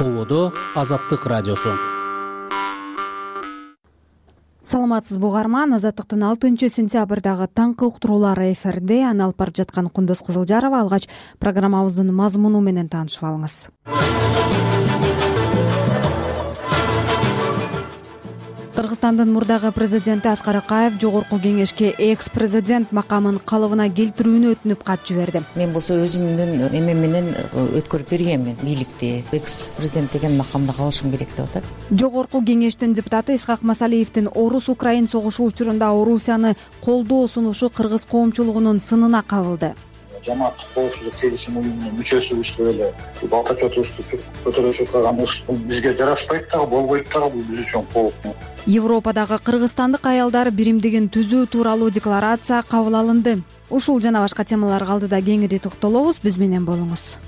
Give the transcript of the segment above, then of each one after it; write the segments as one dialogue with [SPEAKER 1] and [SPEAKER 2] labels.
[SPEAKER 1] Толодо Азаттык радиосу.
[SPEAKER 2] Саламатсызбы угарман, Азаттыктын 6-сентябрдагы таңкы уктуруулары эфирде. Аны алып бара жаткан Кундуз Кызылжарова. Алгач программабыздын мазмуну менен таанышып алыңыз. Кыргызстандын мурдагы президенти Аскар Акаев Жогорку Кеңешке экс-президент макамын калыбына келтирүүнү өтүнүп кат жиберди.
[SPEAKER 3] Мен болсо өзүмдүн эме менен өткөрүп бергенмин бийликти. Экс-президент деген макамда калышым керек деп атат.
[SPEAKER 2] Жогорку Кеңештин депутаты Исхак Масалиевдин Орус-Украин согушу учурунда Орусияны колдоо сунушу кыргыз коомчулугунун сынына кабылды.
[SPEAKER 4] Жамааттык коопсуздук келишим уюмунун мүчөсүбүз эле балтачотубузду көтөрүшүп калганыбыз бизге жарашпайт дагы, болбойт дагы, бул биз үчүн кооп.
[SPEAKER 2] Европадагы кыргызстандык аялдар биримдигин түзүү тууралуу декларация кабыл алынды. Ушул жана башка темаларга алдыда кеңири токтолобуз. Биз менен болуңуз.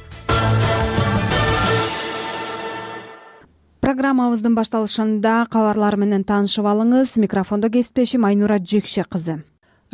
[SPEAKER 2] Программабыздын башталышында кабарлар менен таанышып алыңыз. Микрофондо кесиптешим Айнура Жекше кызы.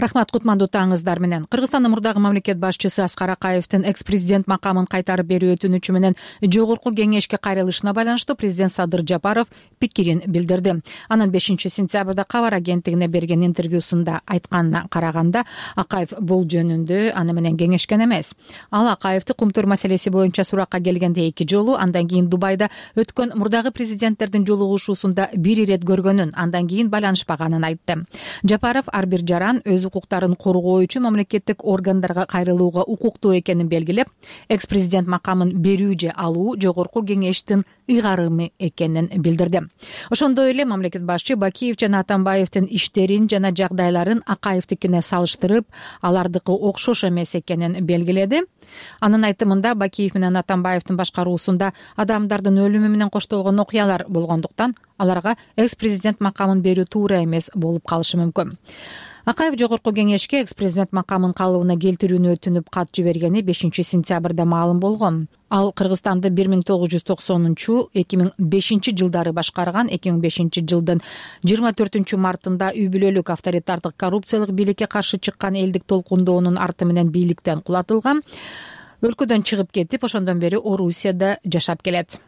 [SPEAKER 5] Рахмат, кутмандуу таңыңыздар менен. Кыргызстандын мурдагы мамлекет башчысы Аскар Акаевдин экс-президент макамын кайтарып берүү өтүнүчү менен Жогорку Кеңешке кайрылышына байланыштуу президент Садыр Жапаров пикирин билдирди. Анын 5-сентябрда кабар агенттигине берген интервьюсунда айтканына караганда, Акаев бул жөнүндө аны менен кеңешкен эмес. Ал Акаевди кумтур маселеси боюнча суракка келгенде 2 жолу, андан кийин Дубайда өткөн мурдагы президенттердин жолугушуусунда 1 ирет көргөнүн, андан кийин байланышпаганын айтты. Жапаров ар бир жаран өз укуктарын коргоо үчүн мамлекеттик органдарга кайрылууга укуктуу экенин белгилеп, экс-президент макамын берүү же алуу Жогорку Кеңештин ыйгарымы экенин билдирди. Ошондой эле мамлекет башчы Бакиев жана Атамбаевдин иштерин жана жагдайларын Акаевдикине салыштырып, алардыкы окшош эмес экенин белгиледи. Анын айтымында Бакиев менен Атамбаевдин башкаруусунда адамдардын өлүмү менен коштолгон окуялар болгондуктан аларга экс-президент макамын берүү туура эмес болуп калышы мүмкүн. Акаев Жогорку Кеңешке экс-президент макамын калыбына келтирүүнү өтүнүп кат жибергени 5-сентябрда маалым болгон. Ал Кыргызстанды 1990-2005 жылдары башкарган. 2005 жылдын 24 мартында үй бүлөлүк авторитардык коррупциялык бийликке каршы чыккан элдик толкундоонун арты менен бийликтен кулатылган. Өлкөдөн чыгып кетип, ошондон бери Орусияда жашап келет.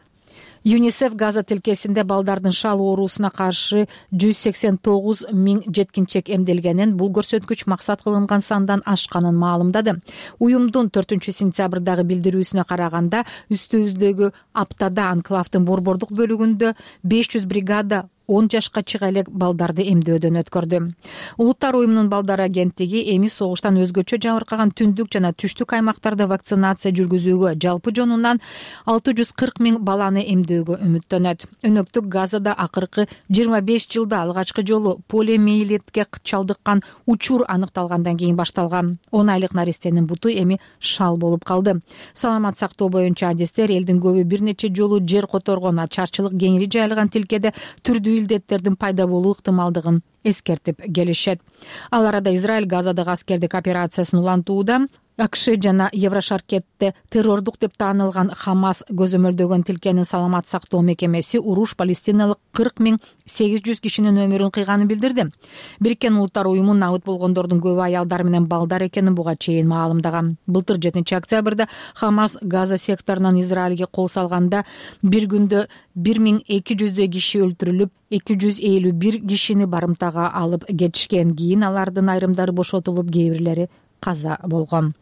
[SPEAKER 5] ЮНИСЕФ Газа тилкесинде балдардын шал оорусуна каршы 189 000 жеткинчек эмделгенин, бул көрсөткүч максат кылынган сандан ашканын маалымдады. Уюмдун 4-сентябрдагы билдирүүсүнө караганда, үстүбүздөгү аптада анклавдын борбордук бөлүгүндө 500 бригада 10 жашка чыга элек балдарды эмдөөдөн өткөрдү. Улуттар уюмунун балдар агенттиги эми согуштан өзгөчө жабыркаган түндүк жана түштүк аймактарда вакцинация жүргүзүүгө, жалпы жонунан 640 000 баланы эмдөөгө үмүттөнөт. Өнөктүк Газада акыркы 25 жылда алгачкы жолу полиомиелитке чалдыккан учур аныкталгандан кийин башталган. 10 айлык наристенин буту эми шал болуп калды. Саламат сактоо боюнча адистер элдин көбү бир нече жолу жер которгон, ачарчылык кеңири жайылган тилкеде түрдүү илдеттердин пайда болуу ыктымалдыгын эскертип келишет. Ал арада Израиль Газадагы аскердик операциясын улантууда АКШ жана Еврошаркетте террордук деп таанылган Хамас көзөмөлдөгөн тилкенин саламат сактоо мекемеси уруш палестиналык 40 800 кишинин өмүрүн кыйганын билдирди. Бириккен Улуттар уюму набыт болгондордун көбү аялдар менен балдар экенин буга чейин маалымдаган. Былтыр 7 октябрда Хамас Газа секторунан Израилге кол салганда бир күндө 1200 киши өлтүрүлүп, 251 кишини барымтага алып кетишкен. Кийин алардын айрымдары бошотулуп, кээ бирлери каза болгон.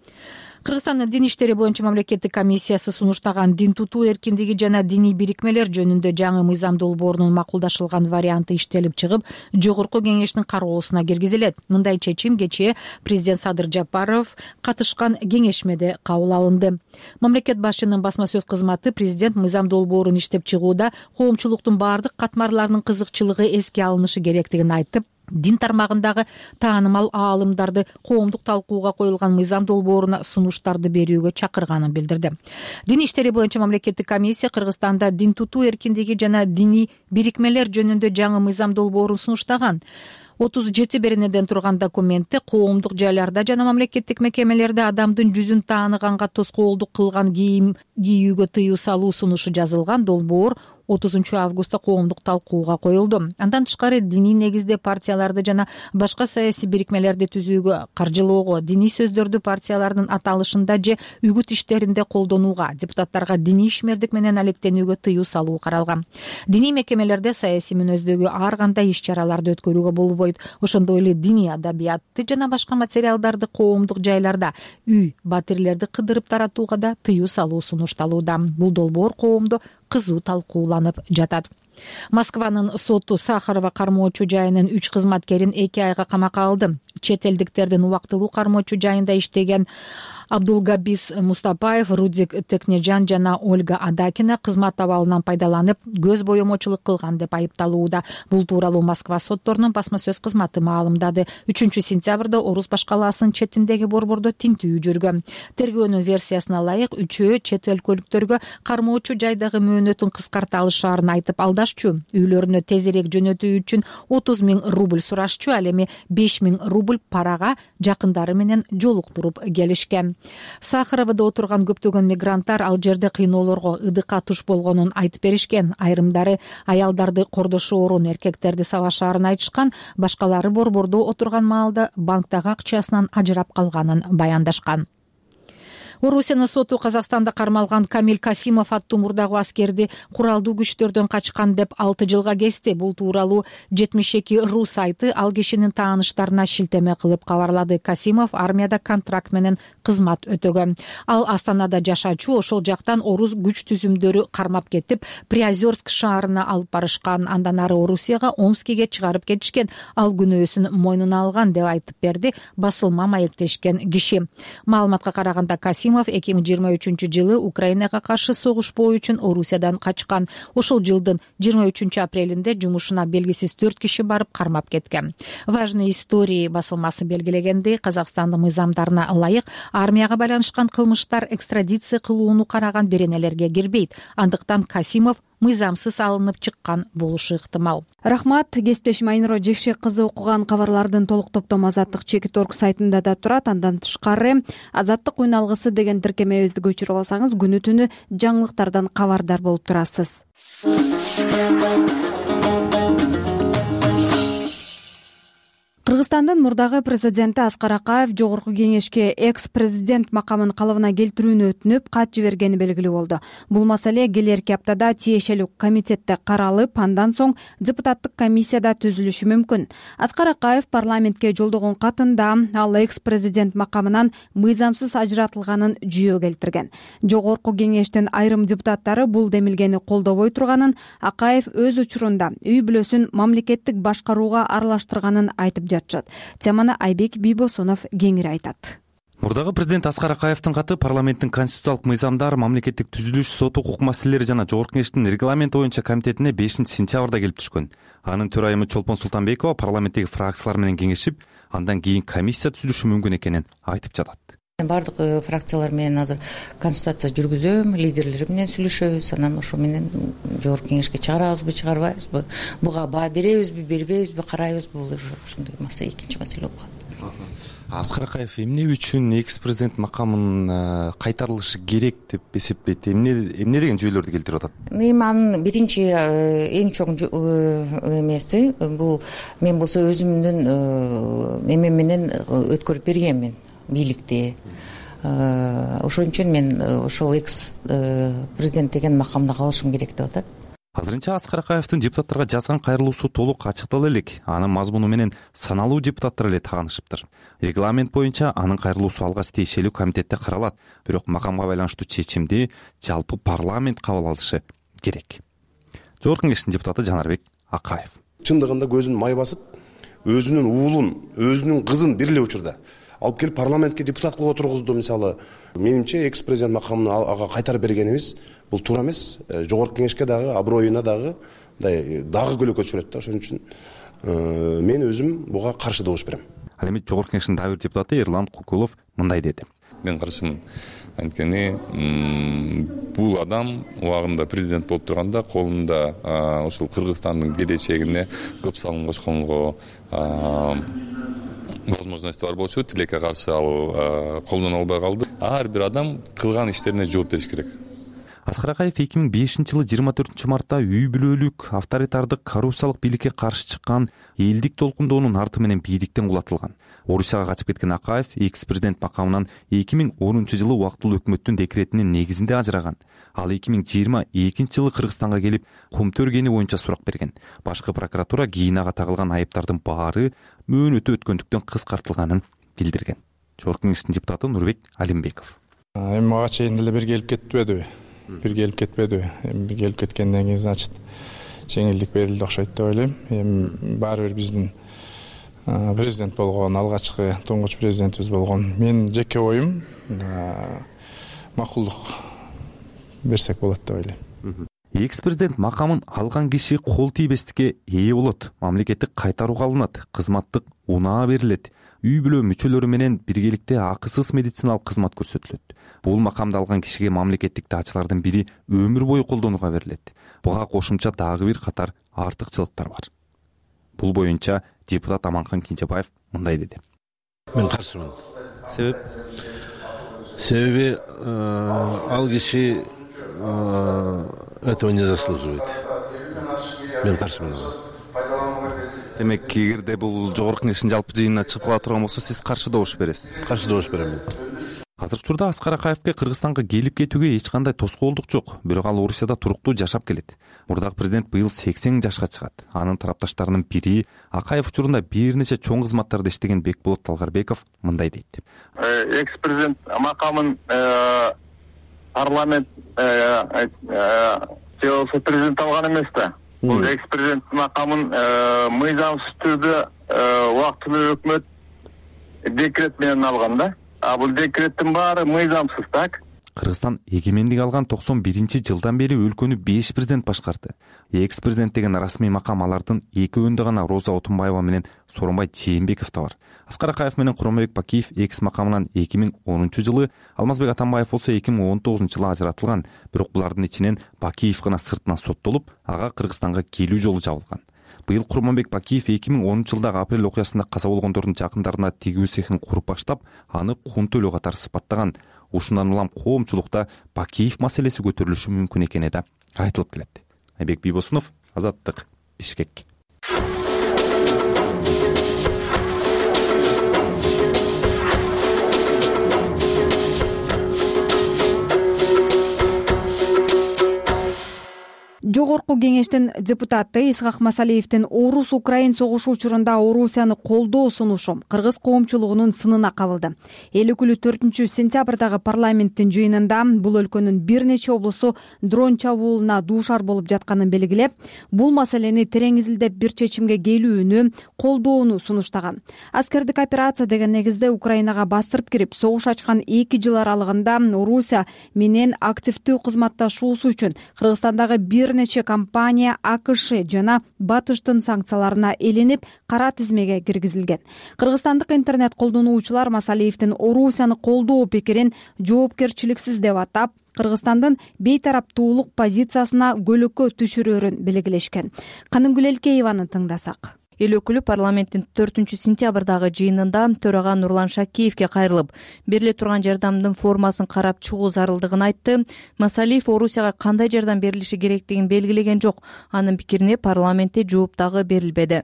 [SPEAKER 5] Кыргызстандын дин иштери боюнча мамлекеттик комиссиясы сунуштаган дин тутуу эркиндиги жана диний бирикмелер жөнүндө жаңы мыйзам долбоорунун макулдашылган варианты иштелип чыгып, Жогорку Кеңештин кароосуна киргизилет. Мындай чечим кечээ президент Садыр Жапаров катышкан кеңешмеде кабыл алынды. Мамлекет башчынын басма сөз кызматы президент мыйзам долбоорун иштеп чыгууда коомчулуктун бардык катмарларынын кызыкчылыгы эске алынышы керектигин айтып, дин тармагындагы таанымал аалымдарды коомдук талкууга коюлган мыйзам долбооруна сунуштарды берүүгө чакырганын билдирди. Дин иштери боюнча мамлекеттик комиссия Кыргызстанда дин тутуу эркиндиги жана диний бирикмелер жөнүндө жаңы мыйзам долбоорун сунуштаган. 37 беренеден турган документте коомдук жайларда жана мамлекеттик мекемелерде адамдын жүзүн тааныганга тоскоолдук кылган кийим кийүүгө тыюу салуу сунушу жазылган. Долбоор 30 коомдук талкууга коюлду. Андан тышкары диний негизде партияларды жана башка саясий бирикмелерди түзүүгө, каржылоого, диний сөздөрдү партиялардын аталышында же үгүт иштеринде колдонууга, депутаттарга диний ишмердик менен алектенүүгө тыюу салуу каралган. Диний мекемелерде саясий мүнөздөгү ар кандай иш-чараларды өткөрүүгө болбойт. Ошондой эле диний адабиятты жана башка материалдарды коомдук жайларда, үй, батирлерди кыдырып таратууга да тыюу салуу сунушталууда. Бул долбоор коомдо кызуу талкууланып жатат. Москванын соту Сахарова кармоочу жайынын 3 кызматкерин 2 айга камакка алды. Чет элдиктердин убактылуу кармоочу жайында иштеген Абдулгабис Мустапаев, Рудик Текнежан жана Ольга Адакина кызмат абалынан пайдаланып, көз боемочулук кылган деп айыпталууда. Бул тууралуу Москва сотторунун басма сөз кызматы маалымдады. 3-сентябрда Орус башкалаасынын четиндеги борбордо тинтүү жүргөн. Тергөөнүн версиясына ылайык, үчөө чет өлкөлүктөргө кармоочу жайдагы мөөнөтүн кыскарта алышаарын айтып алдашчу. Үйлөрүнө тезирээк жөнөтүү үчүн 30 000 рубль сурашчу, ал эми 5 000 рубль парага жакындары менен жолуктуруп келишкен. Сахаровдо отурган көптөгөн мигранттар ал жерде кыйноолорго, ыдыкка туш болгонун айтып беришкен. Айрымдары аялдарды кордошу орун эркектерди сабашаарын айтышкан, башкалары борбордо отурган маалда банктагы акчасынан ажырап калганын баяндашкан. Орусиянын соту Казакстанда кармалган Камил Касимов аттуу мурдагы аскерди куралдуу күчтөрдөн качкан деп 6 жылга кести. Бул тууралуу 72.ru сайты ал кишинин тааныштарына шилтеме кылып кабарлады. Касимов армияда контракт менен кызмат өтөгөн. Ал Астанада жашачу, ошол жактан орус күч түзүмдөрү кармап кетип, Приозерск шаарына алып барышкан. Андан ары Орусияга, Омскиге чыгарып кетишкен. Ал күнөөсүн мойнуна алган деп айтып берди басылма маектешкен киши. Маалыматка караганда Касимов 2023-жылы Украинага каршы согушпоо үчүн Орусиядан качкан. Ошол жылдын 23-апрелинде жумушуна белгисиз 4 киши барып кармап кеткен. Важные истории басылмасы белгилегендей, Казакстандын мыйзамдарына ылайык армияга байланышкан кылмыштар экстрадиция кылууну караган беренелерге кирбейт. Андыктан Касимов мыйзамсыз алынып чыккан болушу ыктымал.
[SPEAKER 2] Рахмат. Кесиптешим Айнура Жекшек кызы окуган кабарлардын толук топтому Азаттык.org сайтында да турат. Андан тышкары Азаттык үн алгысы деген тиркемебизди көчүрүп алсаңыз, күнү түнү жаңылыктардан кабардар болуп турасыз. Кыргызстандын мурдагы президенти Аскар Акаев жогорку кеңешке экс-президент макамын калыбына келтирүүнү өтүнүп, кат жибергени белгилүү болду. Бул маселе келерки аптада тиешелүү комитетте каралып, андан соң депутаттык комиссияда түзүлүшү мүмкүн. Аскар Акаев парламентке жолдогон катында ал экс-президент макамынан мыйзамсыз ажыратылганын жүйө келтирген. Жогорку кеңештин айрым депутаттары бул демилгени колдобой турганын, Акаев өз учурунда үй бүлөсүн мамлекеттик башкарууга аралаштырганын айтып жатышат. Теманы Айбек Бийбосунов кеңири айтат.
[SPEAKER 6] Мурдагы президент Аскар Акаевдин каты парламенттин конституциялык мыйзамдар, мамлекеттик түзүлүш, сот укук маселелери жана жогорку кеңештин регламенти боюнча комитетине 5-сентябрда келип түшкөн. Анын төрайымы Чолпон Султанбекова парламенттеги фракциялар менен кеңешип, андан кийин комиссия түзүлүшү мүмкүн экенин айтып жатат.
[SPEAKER 3] Бардык фракциялар менен азыр консультация жүргүзөм, лидерлери менен сүйлөшөбүз, анан ошо менен жогорку кеңешке чыгарабызбы, чыгарбайбызбы, буга баа беребизби, бербейбизби, карайбызбы, бул ошондой маселе, экинчи маселе болуп калат.
[SPEAKER 6] Аскар Акаев эмне үчүн экс-президент макамын кайтарылышы керек деп эсептейт? Эмне деген жүйөлөрдү келтирип атат?
[SPEAKER 3] Эми анын биринчи эң чоң эмеси бул, мен болсо өзүмдүн эмем менен өткөрүп бергенмин бийликти. Ошон үчүн мен ошол экс президент деген макамда калышым керек деп атат.
[SPEAKER 6] Азырынча Аскар Акаевдин депутаттарга жазган кайрылуусу толук ачыктала элек. Анын мазмуну менен саналуу депутаттар эле таанышыптыр. Регламент боюнча анын кайрылуусу алгач тиешелүү комитетте каралат. Бирок макамга байланыштуу чечимди жалпы парламент кабыл алышы керек. Жогорку кеңештин депутаты Жанарбек Акаев.
[SPEAKER 7] Чындыгында көзүн май басып, өзүнүн уулун, өзүнүн кызын бир эле учурда алып келип парламентке депутат кылып отургузду. Мисалы, менимче экс-президент макамын ага кайтарып бергенибиз бул туура эмес. Жогорку кеңешке дагы, аброюна дагы көлөкө түшүрөт да. Ошон үчүн мен өзүм буга каршы добуш берем.
[SPEAKER 6] Ал эми жогорку кеңештин дагы бир депутаты Эрлан Кукулов мындай деди.
[SPEAKER 8] Мен каршымын. Анткени бул адам убагында президент болуп турганда колунда ошол Кыргызстандын келечегине көп салым кошконго возможности бар болчу, тилекке каршы ал колдоно албай калды. Ар бир адам кылган иштерине жооп бериш керек.
[SPEAKER 6] Аскар Акаев 2005-жылы 24-мартта үй бүлөлүк авторитардык коррупциялык бийликке каршы чыккан элдик толкундоонун арты менен бийликтен кулатылган. Орусияга качып кеткен Акаев экс-президент макамынан 2010-жылы убактылуу өкмөттүн декретинин негизинде ажыраган. Ал 2022-жылы Кыргызстанга келип, кумту өргени боюнча сурак берген. Башкы прокуратура кийин ага тагылган айыптардын баары мөөнөтү өткөндүктөн кыскартылганын билдирген. Жогорку Кеңештин депутаты Нурбек Алимбеков.
[SPEAKER 9] Эми мага чейин деле бир келип кетпедиби? Эми бир келип кеткенден кийин, значит, жеңилдик берилди окшойт деп ойлойм. Эми баары бир биздин президент болгон, алгачкы туңгуч президентибиз болгон. Менин жеке оюм макулдук берсек болот деп ойлойм.
[SPEAKER 6] Экс-президент макамын алган киши кол тийбестикке ээ болот, мамлекеттик кайтарууга алынат, кызматтык унаа берилет, үй бүлө мүчөлөрү менен биргеликте акысыз медициналык кызмат көрсөтүлөт. Бул макамды алган кишиге мамлекеттик даачылардын бири өмүр бою колдонууга берилет. Буга кошумча дагы бир катар артыкчылыктар бар. Бул боюнча депутат Аманкан Кинжебаев мындай деди.
[SPEAKER 10] Мен каршымын.
[SPEAKER 6] Себеби
[SPEAKER 10] ал киши этого не заслуживает. Мен каршымын.
[SPEAKER 6] Демек, эгерде бул жогорку кеңештин жалпы жыйынына чыгып кала турган болсо, сиз каршы добуш бересиз?
[SPEAKER 10] Каршы добуш берем.
[SPEAKER 6] Азыркы учурда Аскар Акаевке Кыргызстанга келип кетүүгө эч кандай тоскоолдук жок. Бирок ал Орусияда туруктуу жашап келет. Мурдагы президент быйыл 80 жашка чыгат. Анын тарапташтарынын бири Акаев учурунда бир нече чоң кызматтарда иштеген Бекболот Талгарбеков мындай дейт.
[SPEAKER 4] Экс-президент макамын парламент президент алган эмес да. Бул экс-президент макамын мыйзамсыз түрдө убактылуу өкмөт декрет менен алган да. Бул декреттин баары мыйзамсыз, так?
[SPEAKER 6] Кыргызстан эгемендик алган 91-жылдан бери өлкөнү 5 президент башкарды. Экс-президент деген расмий макам алардын экөөндө гана Роза Отунбаева менен Сооронбай Жээнбековдо бар. Аскар Акаев менен Курманбек Бакиев экс макамынан 2010-жылы, Алмазбек Атамбаев болсо 2019-жылы ажыратылган. Бирок булардын ичинен Бакиев гана сыртынан соттолуп, ага Кыргызстанга келүү жолу жабылган. Быйыл Курманбек Бакиев 2010-жылдагы апрель окуясында каза болгондордун жакындарына тигүү цехин куруп баштап, аны кун төлөө катары сыпаттаган. Ушундан улам коомчулукта Бакиев маселеси көтөрүлүшү мүмкүн экени да айтылып келет. Айбек Бийбосунов, Азаттык, Бишкек.
[SPEAKER 2] Жогорку кеңештин депутаты Исхак Масалиевдин Орус-Украин согушу учурунда Орусияны колдоо сунушу кыргыз коомчулугунун сынына кабылды. Эл өкүлү 4-сентябрдагы парламенттин жыйынында бул өлкөнүн бир нече облусу дрон чабуулуна дуушар болуп жатканын белгилеп, бул маселени терең изилдеп бир чечимге келүүнү колдоону сунуштаган. Аскердик операция деген негизде Украинага бастырып кирип, согуш ачкан 2 жыл аралыгында Орусия менен активдүү кызматташуусу үчүн Кыргызстандагы бир нече компания АКШ жана Батыштын санкцияларына элинип, кара тизмеге киргизилген. Кыргызстандык интернет колдонуучулар Масалиевдин Орусияны колдоо пикирин жоопкерчиликсиз деп атап, Кыргызстандын бейтараптуулук позициясына көлөкө түшүрөрүн белгилешкен. Канымгүл Элкееваны тыңдасак.
[SPEAKER 11] Эл өкүлү парламенттин 4-сентябрдагы жыйынында төрага Нурлан Шакиевке кайрылып, бериле турган жардамдын формасын карап чыгуу зарылдыгын айтты. Масалиев Орусияга кандай жардам берилиши керектигин белгилеген жок. Анын пикирине парламентте жооп дагы берилбеди.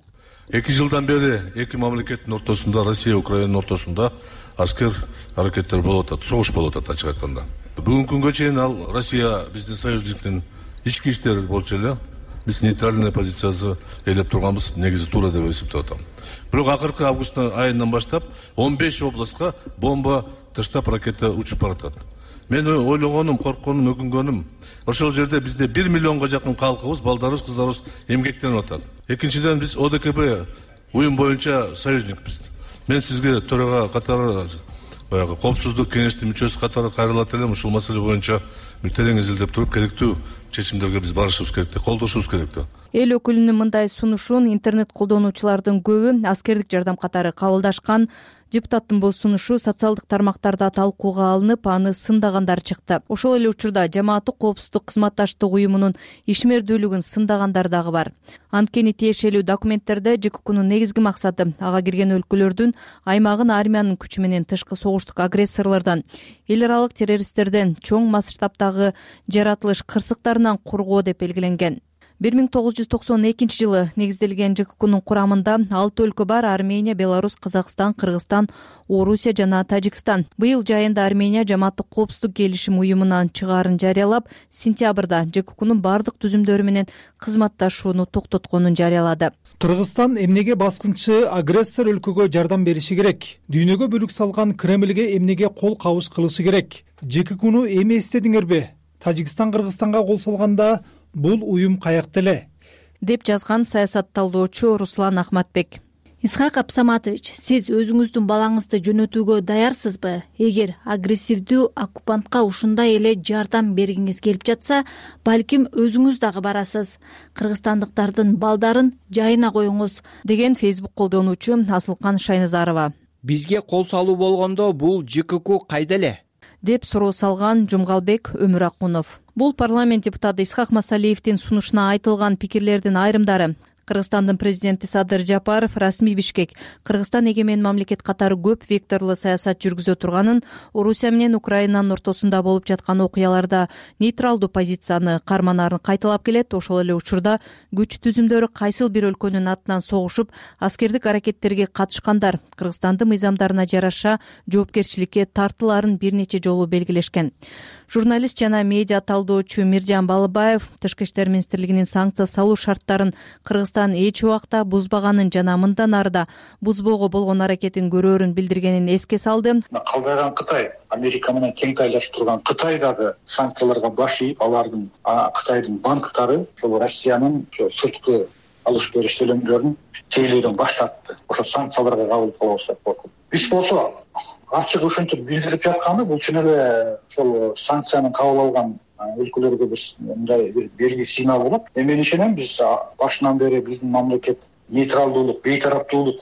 [SPEAKER 12] 2 жылдан бери эки мамлекеттин ортосунда, Россия Украинанын ортосунда аскер аракеттер болуп атат, согуш болуп атат, ачык айтканда. Бүгүнкү күнгө чейин ал Россия биздин союзниктин ички иштери болчу эле. Биз нейтральный позициясы ээлеп турганбыз, негизи туура деп эсептеп атам. Бирок акыркы август айынан баштап 15 областка бомба таштап ракета учуп баратат. Мен ойлогонум, коркконум, өкүнгөнүм, ошол жерде бизде 1 миллионго жакын калкыбыз, балдарыбыз, кыздарыбыз эмгектенип атат. Экинчиден, биз ОДКБ уюм боюнча союзникпиз. Мен сизге төрага катары баягы коопсуздук кеңештин мүчөсү катары кайрылат элем. Ушул маселе боюнча бир терең изилдеп туруп, керектүү чечимдерге биз барышыбыз керек, колдошубуз керек.
[SPEAKER 11] Эл өкүлүнүн мындай сунушун интернет колдонуучулардын көбү аскердик жардам катары кабылдашкан. Депутаттын бул сунушу социалдык тармактарда талкууга алынып, аны сындагандар чыкты. Ошол эле учурда жамааттык коопсуздук кызматташтык уюмунун ишмердүүлүгүн сындагандар дагы бар. Анткени тиешелүү документтерде ЖККнун негизги максаты ага кирген өлкөлөрдүн аймагын армиянын күчү менен тышкы согуштук агрессорлордон, эл аралык террористтерден, чоң масштабтагы жаратылыш кырсыктарынан коргоо деп белгиленген. 1992 жылы негизделген ЖККнун курамында 6 өлкө бар: Армения, Беларусь, Казакстан, Кыргызстан, Орусия жана Тажикстан. Быйыл жайында Армения жамааттык коопсуздук келишим уюмунан чыгаарын жарыялап, сентябрда ЖККнун бардык түзүмдөрү менен кызматташууну токтотконун жарыялады.
[SPEAKER 13] Кыргызстан эмнеге баскынчы агрессор өлкөгө жардам бериши керек? Дүйнөгө бүлүк салган Кремльге эмнеге кол кабыш кылышы керек? ЖККну эми эстедиңерби? Тажикстан Кыргызстанга кол салганда бул уюм каякта эле?
[SPEAKER 11] Деп жазган саясат талдоочу Руслан Ахматбек.
[SPEAKER 14] Исхак Абсаматович, сиз өзүңүздүн балаңызды жөнөтүүгө даярсызбы? Эгер агрессивдүү оккупантка ушундай эле жардам бергиңиз келип жатса, балким өзүңүз дагы барасыз. Кыргызстандыктардын балдарын жайына коюңуз,
[SPEAKER 11] деген Facebook колдонуучу Асылкан Шайназарова.
[SPEAKER 15] Бизге кол салуу болгондо бул ЖКК кайда эле?
[SPEAKER 11] Деп суроо салган Жумгалбек Өмүракунов. Бул парламент депутаты Исхак Масалиевдин сунушуна айтылган пикирлердин айрымдары. Кыргызстандын президенти Садыр Жапаров расмий Бишкек Кыргызстан эгемен мамлекет катары көп векторлуу саясат жүргүзө турганын, Орусия менен Украинанын ортосунда болуп жаткан окуяларда нейтралдуу позицияны карманаарын кайталап келет. Ошол эле учурда күч түзүмдөрү кайсыл бир өлкөнүн атынан согушуп, аскердик аракеттерге катышкандар Кыргызстандын мыйзамдарына жараша жоопкерчиликке тартылаарын бир нече жолу белгилешкен. Журналист жана медиа талдоочу Миржан Балыбаев Тышкы иштер министрлигинин санкция салуу шарттарын Кыргызстан эч убакта бузбаганын жана мындан арыда бузбоого болгон аракетин көрөөрүн билдиргенин эске салды.
[SPEAKER 16] Калдайган Кытай, Америка менен тең тайлашып турган Кытай дагы санкцияларга баш ийип, алардын Кытайдын банктары ошол Россиянын сырткы алыш бериш төлөмдөрүн тейлөөдөн баш тартты. Ошо санкцияларга кабыл кылабыз деп коркуп. Биз болсо ачык ушинтип билдирип жатканы бул чын эле ошол санкцияны кабыл алган өлкөлөргө биз мындай бир белги сигнал болот. Мен ишенем, биз башынан бери биздин мамлекет нейтралдуулук, бейтараптуулук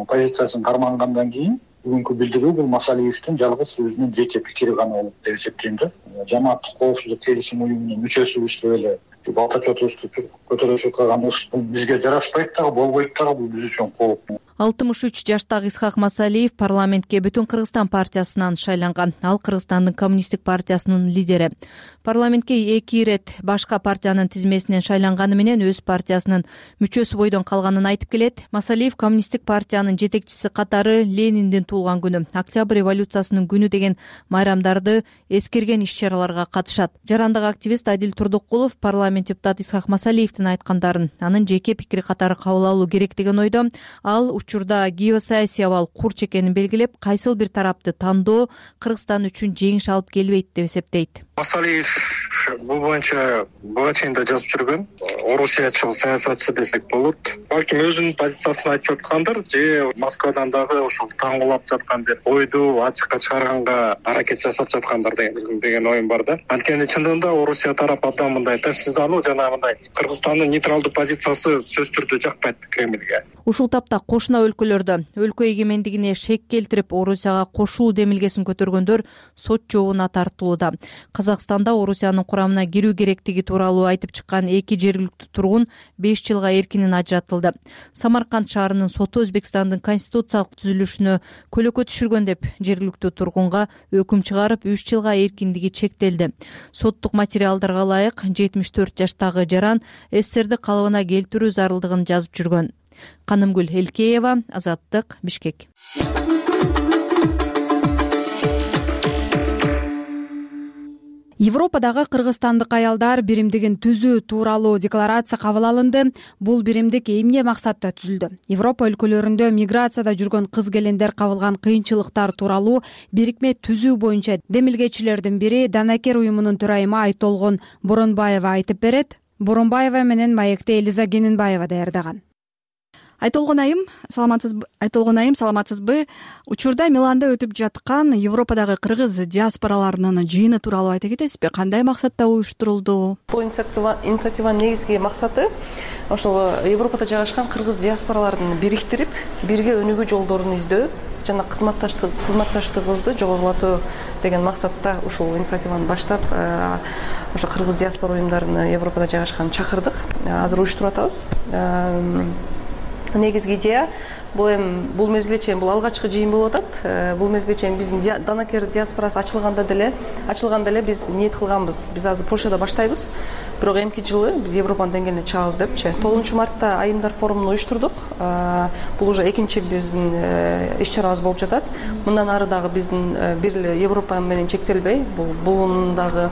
[SPEAKER 16] позициясын кармангандан кийин бүгүнкү билдирүү бул Масалиевдин жалгыз өзүнүн жеке пикири гана болот деп эсептейм да. Жамааттык коопсуздук келишим уюмунун мүчөсүбүз деп эле балтачотубузду көтөрүшүп калганыбыз бул бизге жарашпайт дагы, болбойт дагы, бул биз үчүн кооп.
[SPEAKER 11] 63 жаштагы Исхак Масалиев парламентке Бүтүн Кыргызстан партиясынан шайланган. Ал Кыргызстандын коммунисттик партиясынын лидери. Парламентке 2 ирет башка партиянын тизмесинен шайланганы менен өз партиясынын мүчөсү бойдон калганын айтып келет. Масалиев коммунисттик партиянын жетекчиси катары Лениндин туулган күнү, Октябрь революциясынын күнү деген майрамдарды эскерген иш-чараларга катышат. Жарандык активист Адил Турдукулов парламент депутаты Исхак Масалиевдин айткандарын анын жеке пикири катары кабыл алуу керек деген ойдо. Ал учурда геосаясий абал курч экенин белгилеп, кайсыл бир тарапты тандоо Кыргызстан үчүн жеңиш алып келбейт деп эсептейт.
[SPEAKER 16] Масалиев бул боюнча буга чейин да жазып жүргөн, орусиячыл саясатчы десек болот. Балким өзүнүн позициясын айтып жаткандыр, же Москвадан дагы ушул таңгылап жаткан бир ойду ачыкка чыгарганга аракет жасап жаткандар деген оюм бар да. Анткени чындыгында Орусия тарап абдан мындай тынчсыздануу жана мындай Кыргызстандын нейтралдуу позициясы сөзсүз түрдө жакпайт Кремльге.
[SPEAKER 11] Ушул тапта кошуна өлкөлөрдө өлкө эгемендигине шек келтирип Орусияга кошулуу демилгесин көтөргөндөр сот жообуна тартылууда. Казакстанда Орусиянын курамына кирүү керектиги тууралуу айтып чыккан 2 жергиликтүү тургун 5 жылга эркинен ажыратылды. Самарканд шаарынын соту Өзбекстандын конституциялык түзүлүшүнө көлөкө түшүргөн деп жергиликтүү тургунга өкүм чыгарып 3 жылга эркиндиги чектелди. Соттук материалдарга ылайык 74 жаштагы жаран СССРди калыбына келтирүү зарылдыгын жазып жүргөн. Канымгүл Элкеева, Азаттык, Бишкек.
[SPEAKER 2] Европадагы кыргызстандык аялдар биримдигин түзүү тууралуу декларация кабыл алынды. Бул биримдик эмне максатта түзүлдү? Европа өлкөлөрүндө миграцияда жүргөн кыз-келиндер кабылган кыйынчылыктар тууралуу бирикме түзүү боюнча демилгечилердин бири Данакер уюмунун төрайымы Айтолгон Боронбаева айтып берет. Боронбаева менен маекти Элиза Кенинбаева даярдаган.
[SPEAKER 17] Айтолгон айым, саламатсызбы? Учурда Миланда өтүп жаткан Европадагы кыргыз диаспораларынын жыйыны тууралуу айта кетесизби? Кандай максатта уюштурулду?
[SPEAKER 18] Бул инициативанын негизги максаты ошол Европада жайгашкан кыргыз диаспораларын бириктирип, бирге өнүгүү жолдорун издөө жана кызматташтыгыбызды жогорулатуу деген максатта ушул инициативаны баштап, ошо кыргыз диаспора уюмдарын Европада жайгашкан чакырдык. Азыр уюштуруп атабыз. Негизги идея бул мезгилге чейин бул алгачкы жыйын болуп атат. Бул мезгилге чейин биздин Данакер диаспорасы ачылганда деле биз ниет кылганбыз. Биз азыр Польшада баштайбыз. Бирок эмки жылы биз Европанын деңгээлине чыгабыз депчи. 9 мартта айымдар форумун уюштурдук. Бул уже экинчи биздин иш-чарабыз болуп жатат. Мындан ары дагы биздин бир эле Европа менен чектелбей, бул дагы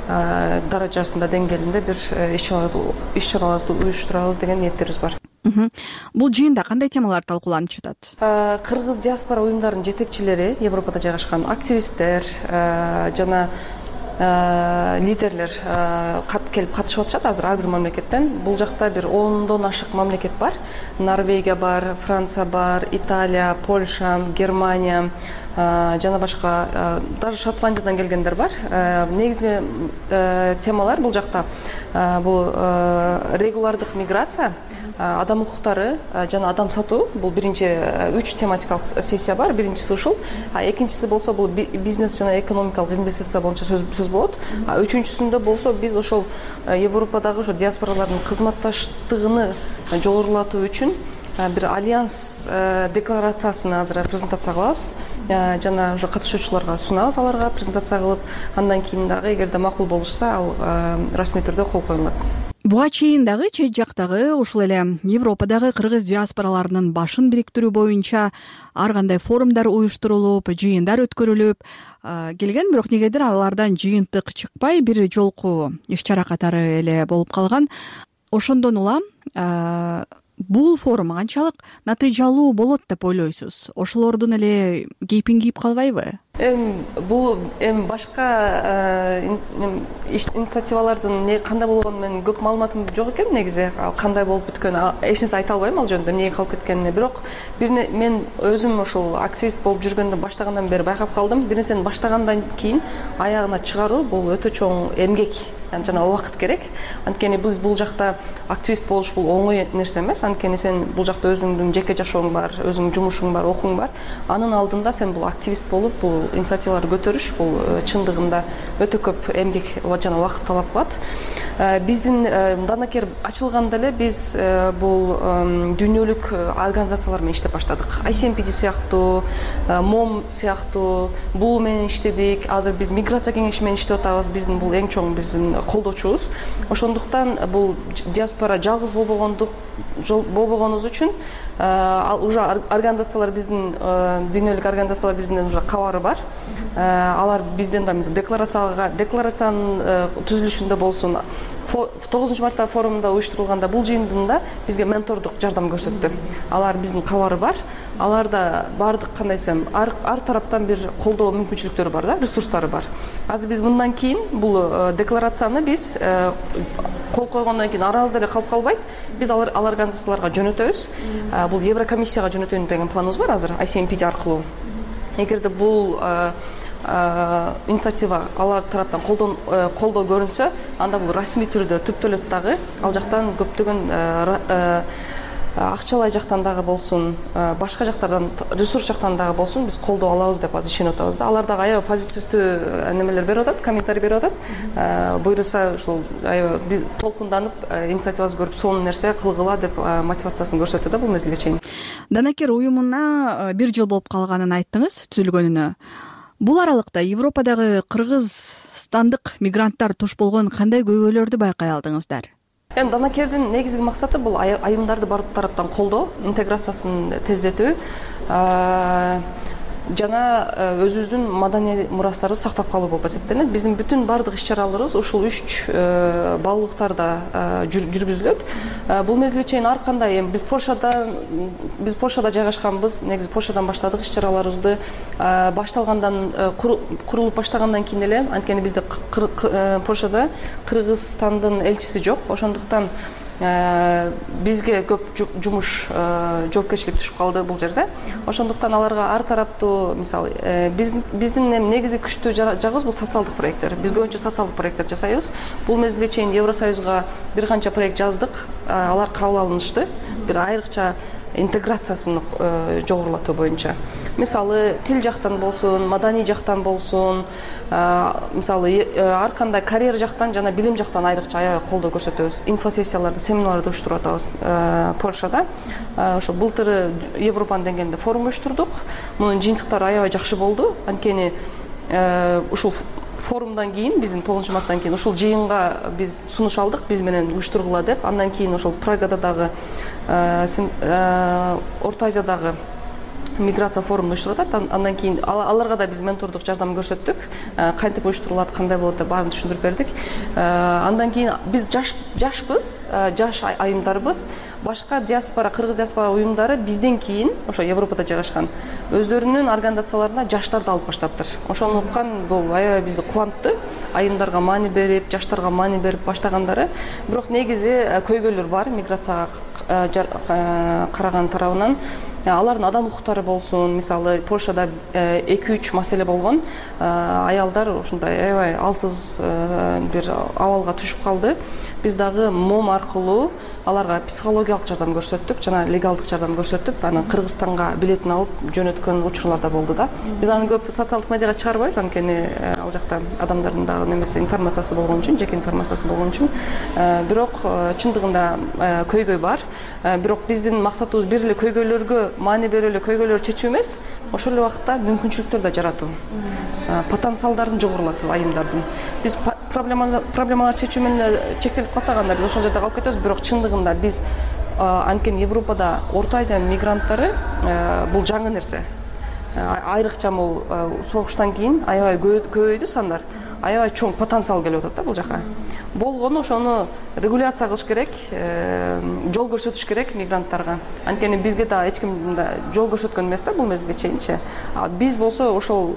[SPEAKER 18] даражасында деңгээлинде бир иш-чараларды уюштурабыз деген ниеттерибиз бар.
[SPEAKER 17] Бул жыйында кандай темалар талкууланып жатат?
[SPEAKER 18] Кыргыз диаспора уюмдарынын жетекчилери, Европада жайгашкан активисттер жана лидерлер келип катышып атышат азыр ар бир мамлекеттен. Бул жакта бир 10дон ашык мамлекет бар. Норвегия бар, Франция бар, Италия, Польша, Германия жана башка, даже Шотландиядан келгендер бар. Негизги темалар бул жакта бул регулардык миграция, адам укуктары жана адам сатуу. Бул биринчи 3 тематикалык сессия бар. Биринчиси ушул, экинчиси болсо бул бизнес жана экономикалык инвестиция боюнча сөз болот. Үчүнчүсүндө болсо биз ошол Европадагы ошо диаспоралардын кызматташтыгын жогорулатуу үчүн бир альянс декларациясын азыр презентация кылабыз жана уже катышуучуларга сунабыз, аларга презентация кылып, андан кийин дагы эгерде макул болушса, ал расмий түрдө кол коюлат.
[SPEAKER 17] Буга чейин дагы чет жактагы ушул эле Европадагы кыргыз диаспораларынын башын бириктирүү боюнча ар кандай форумдар уюштурулуп, жыйындар өткөрүлүп келген, бирок негедир алардан жыйынтык чыкпай бир жолку иш-чара катары эле болуп калган. Ошондон улам бул форум канчалык натыйжалуу болот деп ойлойсуз? Ошолордун эле кейпин кийип калбайбы?
[SPEAKER 18] Бул башка инициативалардын кандай болгону менен көп маалыматым жок экен негизи. Ал кандай болуп бүткөнү эч нерсе айта албайм ал жөнүндө, эмнеге калып кеткенине. Бирок мен өзүм ошол активист болуп жүргөндө баштагандан бери байкап калдым. Бир нерсени баштагандан кийин аягына чыгаруу бул өтө чоң эмгек жана убакыт керек. Анткени биз бул жакта активист болуш бул оңой нерсе эмес. Анткени сен бул жакта өзүңдүн жеке жашооң бар, өзүңдүн жумушуң бар, окууң бар. Анын алдында сен бул активист болуп, бул инициативаларды көтөрүш бул чындыгында өтө көп эмгек жана убакыт талап кылат. Биздин Данакер ачылганда эле биз бул дүйнөлүк организациялар менен иштеп баштадык. ICMPD сыяктуу, МОМ сыяктуу бул менен иштедик. Азыр биз миграция кеңеши менен иштеп атабыз. Биздин бул эң чоң биздин колдоочубуз. Ошондуктан бул диаспора жалгыз болбогонубуз үчүн уже организациялар биздин дүйнөлүк организациялар биздин уже кабары бар. Алар бизден да декларациянын түзүлүшүндө болсун, 9 мартта форумда уюштурулганда бул жыйында бизге ментордук жардам көрсөттү. Алар биздин кабары бар. Аларда баардык кандай десем, ар тараптан бир колдоо мүмкүнчүлүктөрү бар да, ресурстары бар. Азыр биз мындан кийин бул декларацияны биз кол койгондон кийин арабызда эле калып калбайт. Биз ал организацияларга жөнөтөбүз. Бул Еврокомиссияга жөнөтөйүн деген планыбыз бар азыр ICMPD аркылуу. Эгерде бул инициатива алар тараптан колдоо көрүнсө, анда бул расмий түрдө түптөлөт дагы. Ал жактан көптөгөн акчалай жактан дагы болсун, башка жактардан, ресурс жактан дагы болсун, биз колдоо алабыз деп азыр ишенип атабыз да. Алар дагы аябай позитивдүү немелер берип атат, комментарий берип атат. Буйруса ушул аябай биз толкунданып, инициативабызды көрүп, сонун нерсе кылгыла деп мотивациясын көрсөттү да бул мезгилге чейин.
[SPEAKER 17] Данакер уюмуна 1 жыл болуп калганын айттыңыз, түзүлгөнүнө. Бул аралыкта Европадагы кыргызстандык мигранттар туш болгон кандай көйгөйлөрдү байкай алдыңыздар?
[SPEAKER 18] Данакердин негизги максаты бул айымдарды бардык тараптан колдоо, интеграциясын тездетүү жана өзүбүздүн маданий мурастарыбызды сактап калуу болуп эсептелет. Биздин бүтүн бардык иш-чараларыбыз ушул 3 баалуулуктарда жүргүзүлөт. Бул мезгилге чейин ар кандай биз Польшада жайгашканбыз. Негизи Польшадан баштадык иш-чараларыбызды. Башталгандан курулуп баштагандан кийин эле, анткени бизде Польшада Кыргызстандын элчиси жок. Ошондуктан бизге көп жумуш жоопкерчилик түшүп калды бул жерде. Ошондуктан аларга ар тараптуу, мисалы, биздин негизи күчтүү жагыбыз бул социалдык проекттер. Биз көбүнчө социалдык проекттер жасайбыз. Бул мезгилге чейин Евросоюзга бир канча проект жаздык. Алар кабыл алынышты. Бир айрыкча интеграциясын жогорулатуу боюнча. Мисалы, тил жактан болсун, маданий жактан болсун, мисалы, ар кандай карьера жактан жана билим жактан айрыкча аябай колдоо көрсөтөбүз. Инфосессияларды, семинарларды уюштуруп атабыз Польшада. Ошо былтыр Европанын деңгээлинде форум уюштурдук. Мунун жыйынтыктары аябай жакшы болду. Анткени ушул форумдан кийин, биздин 9-марттан кийин ушул жыйынга биз сунуш алдык, биз менен уюштургула деп. Андан кийин ошол Прагада дагы, Орто Азиядагы миграция форумун уюштуруп атат. Андан кийин аларга да биз ментордук жардам көрсөттүк. Кантип уюштурулат, кандай болот деп баарын түшүндүрүп бердик. Андан кийин биз жашпыз, жаш айымдарбыз. Башка диаспора, кыргыз диаспора уюмдары бизден кийин ошо Европада жайгашкан өздөрүнүн организацияларына жаштарды алып баштаптыр. Ошону уккан бул аябай бизди кубантты. Айымдарга маани берип, жаштарга маани берип баштагандары. Бирок негизи көйгөйлөр бар миграцияга караган тарабынан. Алардын адам укуктары болсун, мисалы, Польшада 2-3 маселе болгон. Аялдар ушундай аябай алсыз бир абалга түшүп калды. Биз дагы МОМ аркылуу аларга психологиялык жардам көрсөттүк, жана легалдык жардам көрсөтүп, анан Кыргызстанга билетин алып жөнөткөн учурлар да болду да. Биз аны көп социалдык медиага чыгарбайбыз, анткени ал жакта адамдардын дагы немеси информациясы болгон үчүн, жеке информациясы болгон үчүн. Бирок чындыгында көйгөй бар. Бирок биздин максатыбыз бир эле көйгөйлөргө маани берип эле көйгөйлөрдү чечүү эмес, ошол эле убакта мүмкүнчүлүктөр да жаратуу, потенциалдарын жогорулатуу айымдардын. Биз проблемалар чечүү менен чектелип калсак, анда биз ошол жерде калып кетебиз. Бирок чындыгында биз анткени Европада Орто Азиянын мигранттары бул жаңы нерсе. Айрыкча бул согуштан кийин аябай көбөйдү сандар. Аябай чоң потенциал келип атат да бул жака. Болгону ошону регуляция кылыш керек, жол көрсөтүш керек мигранттарга. Анткени бизге да эч ким жол көрсөткөн эмес да бул мезгилге чейинчи. Биз болсо ошол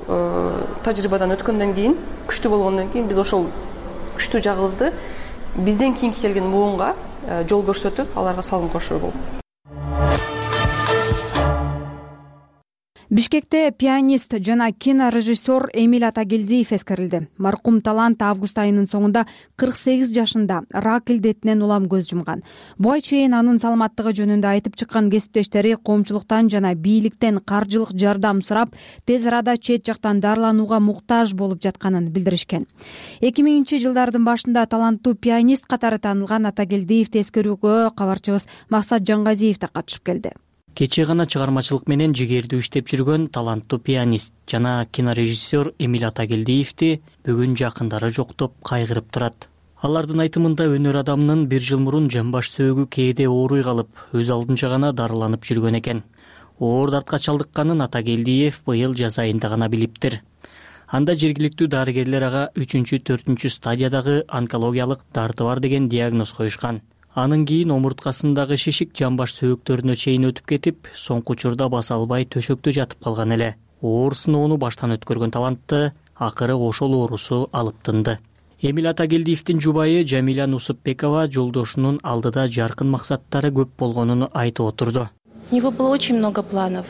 [SPEAKER 18] тажрыйбадан өткөндөн кийин, күчтүү болгондон кийин биз ошол күчтүү жагыбызды бизден кийинки келген муунга жол көрсөтүп, аларга салым кошуу болуп.
[SPEAKER 2] Бишкекте пианист жана кинорежиссер Эмиль Атагелдиев эскерилди. Маркум талант август айынын соңунда 48 жашында рак илдетинен улам көз жумган. Буга чейин анын саламаттыгы жөнүндө айтып чыккан кесиптештери коомчулуктан жана бийликтен каржылык жардам сурап, тез арада чет жактан дарыланууга муктаж болуп жатканын билдиришкен. 2000-жылдардын башында таланттуу пианист катары таанылган Атагелдиевди эскерүүгө кабарчыбыз Максат Жангазиев да катышып келди.
[SPEAKER 1] Кечээ гана чыгармачылык менен жигердүү иштеп жүргөн таланттуу пианист жана кинорежиссер Эмиль Атагелдиевди бүгүн жакындары жоктоп кайгырып турат. Алардын айтымында өнөр адамынын 1 жыл мурун жамбаш сөөгү кээде ооруй калып, өз алдынча гана дарыланып жүргөн экен. Оор дартка чалдыкканын Атагелдиев быйыл жаз айында гана билиптир. Анда жергиликтүү дарыгерлер ага 3-4 стадиядагы онкологиялык дарты бар деген диагноз коюшкан. Анын кийин омурткасындагы шишик жамбаш сөөктөрүнө чейин өтүп кетип, соңку учурда баса албай төшөктө жатып калган эле. Оор сыноону баштан өткөргөн талантты акыры ошол оорусу алып тынды. Эмиль Атагелдиевдин жубайы Жамиля Нусупбекова жолдошунун алдыда жаркын максаттары көп болгонун айтып отурду.
[SPEAKER 19] У него было очень много планов,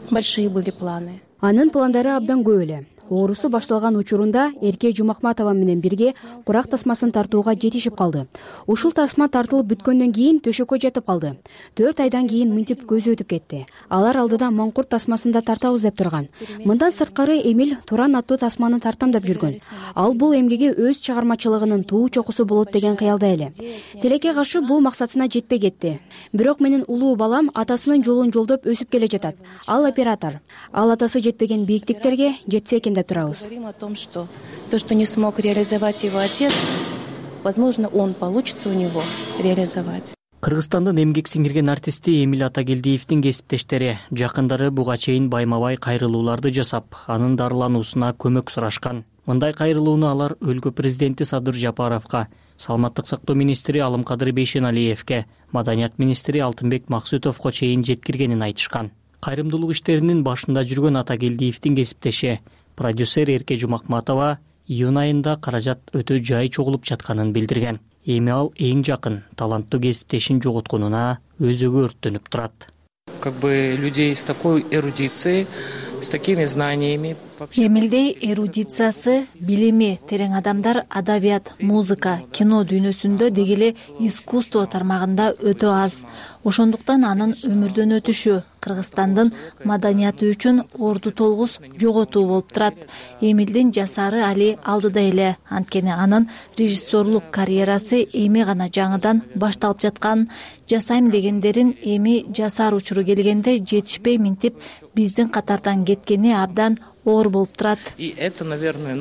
[SPEAKER 19] большие были планы.
[SPEAKER 20] Анын пландары абдан көп эле. Оорусу башталган учурунда Эрке Жумакматова менен бирге курак тасмасын тартууга жетишип калды. Ушул тасма тартылып бүткөндөн кийин төшөккө жатып калды. 4 айдан кийин мынтип көзү өтүп кетти. Алар алдыда маңкурт тасмасын да тартабыз деп турган. Мындан сырткары Эмиль Туран аттуу тасманы тартам деп жүргөн. Ал бул эмгеге өз чыгармачылыгынын туу чокусу болот деген кыялда эле. Тилекке каршы бул максатына жетпей кетти. Бирок менин улуу балам атасынын жолун жолдоп өсүп келе жатат. Ал оператор. Ал атасы жетпеген бийиктиктерге жетсе экен деп турабыз.
[SPEAKER 19] Говорим о том, что то, что не смог реализовать его отец, возможно, он получится у него реализовать.
[SPEAKER 1] Кыргызстандын эмгек сиңирген артисти Эмиль Атагелдиевдин кесиптештери жакындары буга чейин байма-бай кайрылууларды жасап, анын дарылануусуна көмөк сурашкан. Мындай кайрылууну алар өлкө президенти Садыр Жапаровго, саламаттык сактоо министри Алымкадыр Бейшеналиевге, маданият министри Алтынбек Максутовго чейин жеткиргенин айтышкан. Кайрымдуулук иштеринин башында жүргөн Атагелдиевдин кесиптеши продюсер Эрке Жумакматова июнь айында каражат өтө жай чогулуп жатканын билдирген. эми ал эң жакын таланттуу кесиптешин жоготконуна өзөгө өрттөнүп турат.
[SPEAKER 21] Как бы людей с такой эрудицией, с такими знаниями.
[SPEAKER 14] Эмилдей эрудициясы, билими терең адамдар адабият, музыка, кино дүйнөсүндө деги эле искусство тармагында өтө аз. Ошондуктан анын өмүрдөн өтүшү Кыргызстандын маданияты үчүн орду толгус жоготуу болуп турат. Эмилдин жасары али алдыда эле, анткени анын режиссерлук карьерасы эми гана жаңыдан башталып жаткан. Жасайм дегендерин эми жасар учуру келгенде жетишпей минтип биздин катардан кеткени абдан оор болуп турат.
[SPEAKER 21] И это, наверное,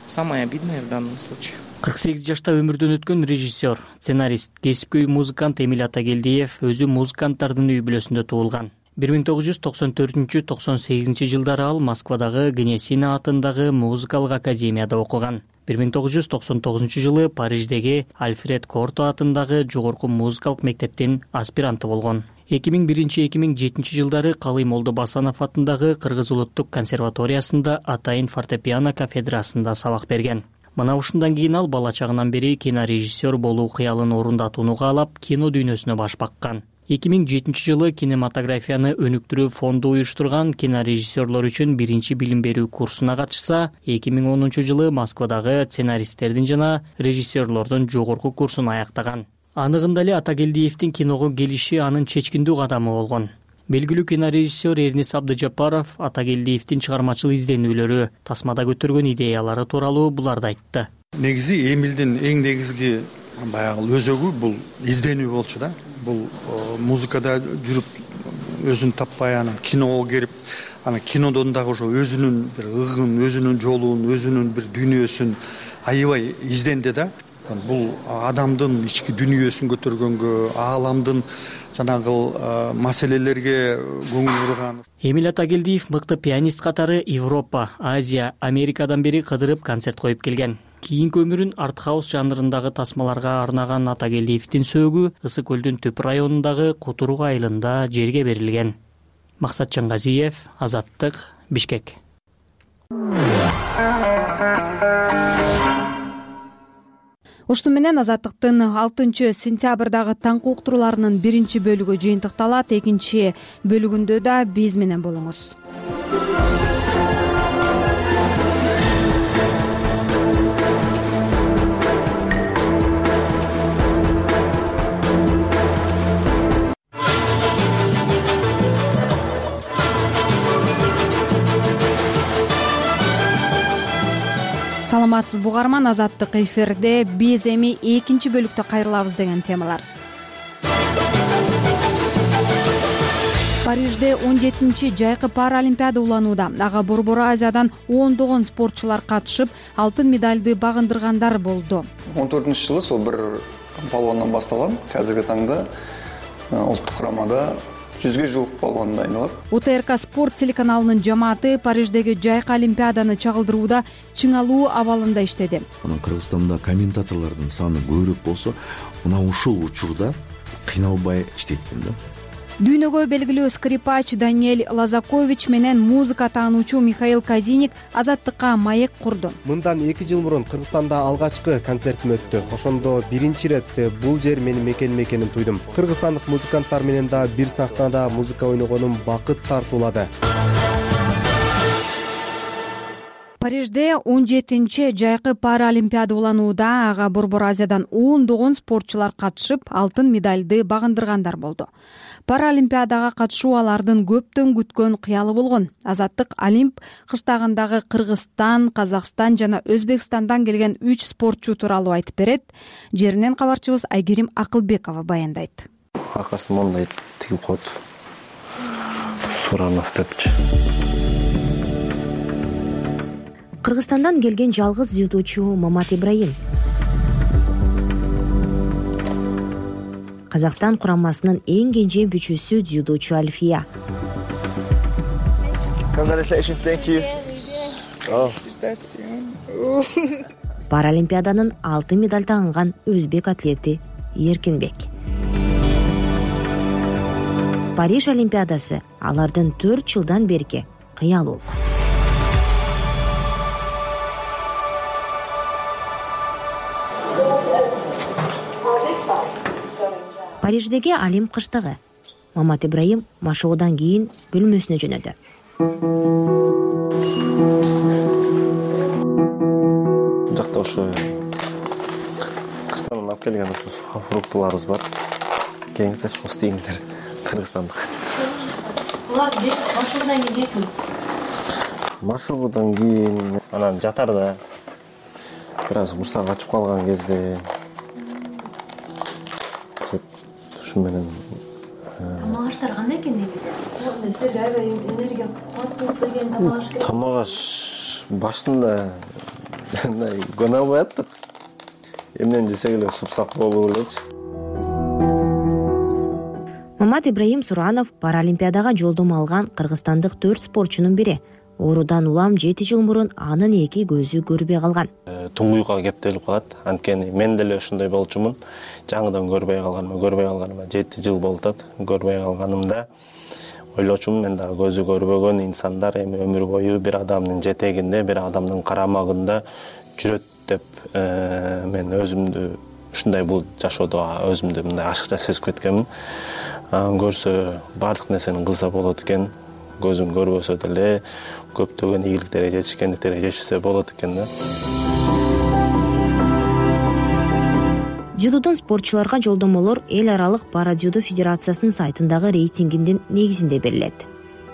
[SPEAKER 21] самое обидное в данном случае.
[SPEAKER 1] 48 жашта өмүрдөн өткөн режиссер, сценарист, кесипкөй музыкант Эмиль Атагелдиев өзү музыканттардын үй бүлөсүндө туулган. 1994-98 жылдары ал Москвадагы Гнесина атындагы музыкалык академияда окуган. 1999 жылы Париждеги Альфред Корто атындагы жогорку музыкалык мектептин аспиранты болгон. 2001-2007 жылдары Калый Молдо Басанов атындагы Кыргыз улуттук консерваториясында атайын фортепиано кафедрасында сабак берген. Мына ушундан кийин ал бала чагынан бери кинорежиссер болуу кыялын орундатууну каалап, кино дүйнөсүнө баш баккан. 2007 жылы кинематографияны өнүктүрүү фонду уюштурган кинорежиссерлор үчүн биринчи билим берүү курсуна катышса, 2010 жылы Москвадагы сценаристтердин жана режиссерлордун жогорку курсун аяктаган. Аныгында эле Атагелдиевдин киного келиши анын чечкиндүү кадамы болгон. Белгилүү кинорежиссер Эрнис Абдыжапаров Атагелдиевдин чыгармачыл изденүүлөрү, тасмада көтөргөн идеялары тууралуу буларды айтты.
[SPEAKER 22] Негизи Эмилдин эң негизги баягы өзөгү бул изденүү болчу да. Бул музыкада жүрүп өзүн таппай анан киного келип, анан кинодон дагы ошо өзүнүн бир ыгын, өзүнүн жолун, өзүнүн бир дүйнөсүн аябай изденди да. Бул адамдын ички дүйнөсүн көтөргөнгө, ааламдын жанагы маселелерге көңүл бурган.
[SPEAKER 1] Эмиль Атагелдиев мыкты пианист катары Европа, Азия, Америкадан бери кыдырып концерт коюп келген. Кийинки өмүрүн арт-хаус жанрындагы тасмаларга арнаган Атагелдиевдин сөөгү Ысык көлдүн Төп районундагы Кутурук айылында жерге берилген. Максат Чангазиев, Азаттык, Бишкек.
[SPEAKER 2] Ушуну менен Азаттыктын 6-сентябрдагы таңкы уктурууларынын биринчи бөлүгү жыйынтыкталат. Экинчи бөлүгүндө да биз менен болуңуз. Саламатсызбы угарман, Азаттык эфирде. Биз эми экинчи бөлүктө кайрылабыз деген темалар. Парижде 17-чи жайкы паралимпиада уланууда. Ага Борбор Азиядан ондогон спортчулар катышып, алтын медальды багындыргандар болду.
[SPEAKER 23] 14-жылы сол бир балуандан башталган. Азыркы таңда улуттук курамада 100ге жуук балуан дайындалат.
[SPEAKER 2] УТРК спорт телеканалынын жамааты Париждеги жайкы олимпиаданы чагылдырууда чыңалуу абалында иштеди.
[SPEAKER 24] Кыргызстанда комментаторлордун саны көбүрөөк болсо, мына ушул учурда кыйналбай иштейт экен да.
[SPEAKER 2] Дүйнөгө белгилүү скрипач Даниэль Лазакович менен музыка таануучу Михаил Казиник Азаттыкка маек курду.
[SPEAKER 25] Мындан 2 жыл мурун Кыргызстанда алгачкы концертим өттү. Ошондо биринчи ирет бул жер менин мекеним экенин туйдум. Кыргызстандык музыканттар менен да бир сахнада музыка ойногонум бакыт тартуулады. Парижде 17-чи жайкы паралимпиада уланууда. Ага Борбор Азиядан ондогон спортчулар катышып, алтын медальды багындыргандар болду. Паралимпиадага катышуу алардын көптөн күткөн кыялы болгон. Азаттык Олимп кыштагындагы Кыргызстан, Казакстан жана Өзбекстандан келген 3 спортчу тууралуу айтып берет. Жеринен кабарчыбыз Айгерим Акылбекова баяндайт.
[SPEAKER 26] Аркасын мондай тигип коет. Суранов депчи.
[SPEAKER 20] Кыргызстандан келген жалгыз дзюдочу Мамат Ибраим. Казакстан курамасынын эң кенже бүчүсү дзюдочу Альфия. Паралимпиаданын алтын медаль тагынган өзбек атлети Эркинбек. Париж олимпиадасы алардын 4 жылдан берки кыялы. Париждеги Олимп кыштыгы. Мамат Ибраим машыгуудан кийин бөлмөсүнө жөнөдү.
[SPEAKER 26] Жакта ушу кыштан алып келген ушу фруктыларыбыз бар. Келиңиздерчи, устеңиздер, кыргызстандык.
[SPEAKER 20] Буларды машыгуудан кийин жейсиң?
[SPEAKER 26] Машыгуудан кийин анан жатарда бир аз куштар качып калган кезде ушу менен.
[SPEAKER 20] Тамак аштар кандай экен негизи? Силерге аябай энергия кубат берген тамак аш керек.
[SPEAKER 26] Тамак аш башында мындай көңүл албай аттык. Эмнени жесек эле супсак болуп элечи.
[SPEAKER 20] Мамат Ибраим Суранов Паралимпиадага жолдомо алган кыргызстандык 4 спортчунун бири. Оорудан улам 7 жыл мурун анын эки көзү көрбөй калган.
[SPEAKER 26] Туңгуйга кептелип калат. Анткени мен деле ошондой болчумун. Жаңыдан көрбөй калганыма 7 жыл болуп атат. Көрбөй калганымда ойлочумун, мен дагы көзү көрбөгөн инсандар эми өмүр бою бир адамдын жетегинде, бир адамдын карамагында жүрөт деп мен өзүмдү ушундай бул жашоодо өзүмдү мындай ашыкча сезип кеткенмин. Көрсө баардык нерсени кылса болот экен. Көзүн көрбөсө деле көптөгөн ийгиликтерге жетишкендиктерге жетишсе болот экен да.
[SPEAKER 20] Дзюдодон спортчуларга жолдомолор эл аралык парадзюдо федерациясынын сайтындагы рейтингинин негизинде берилет.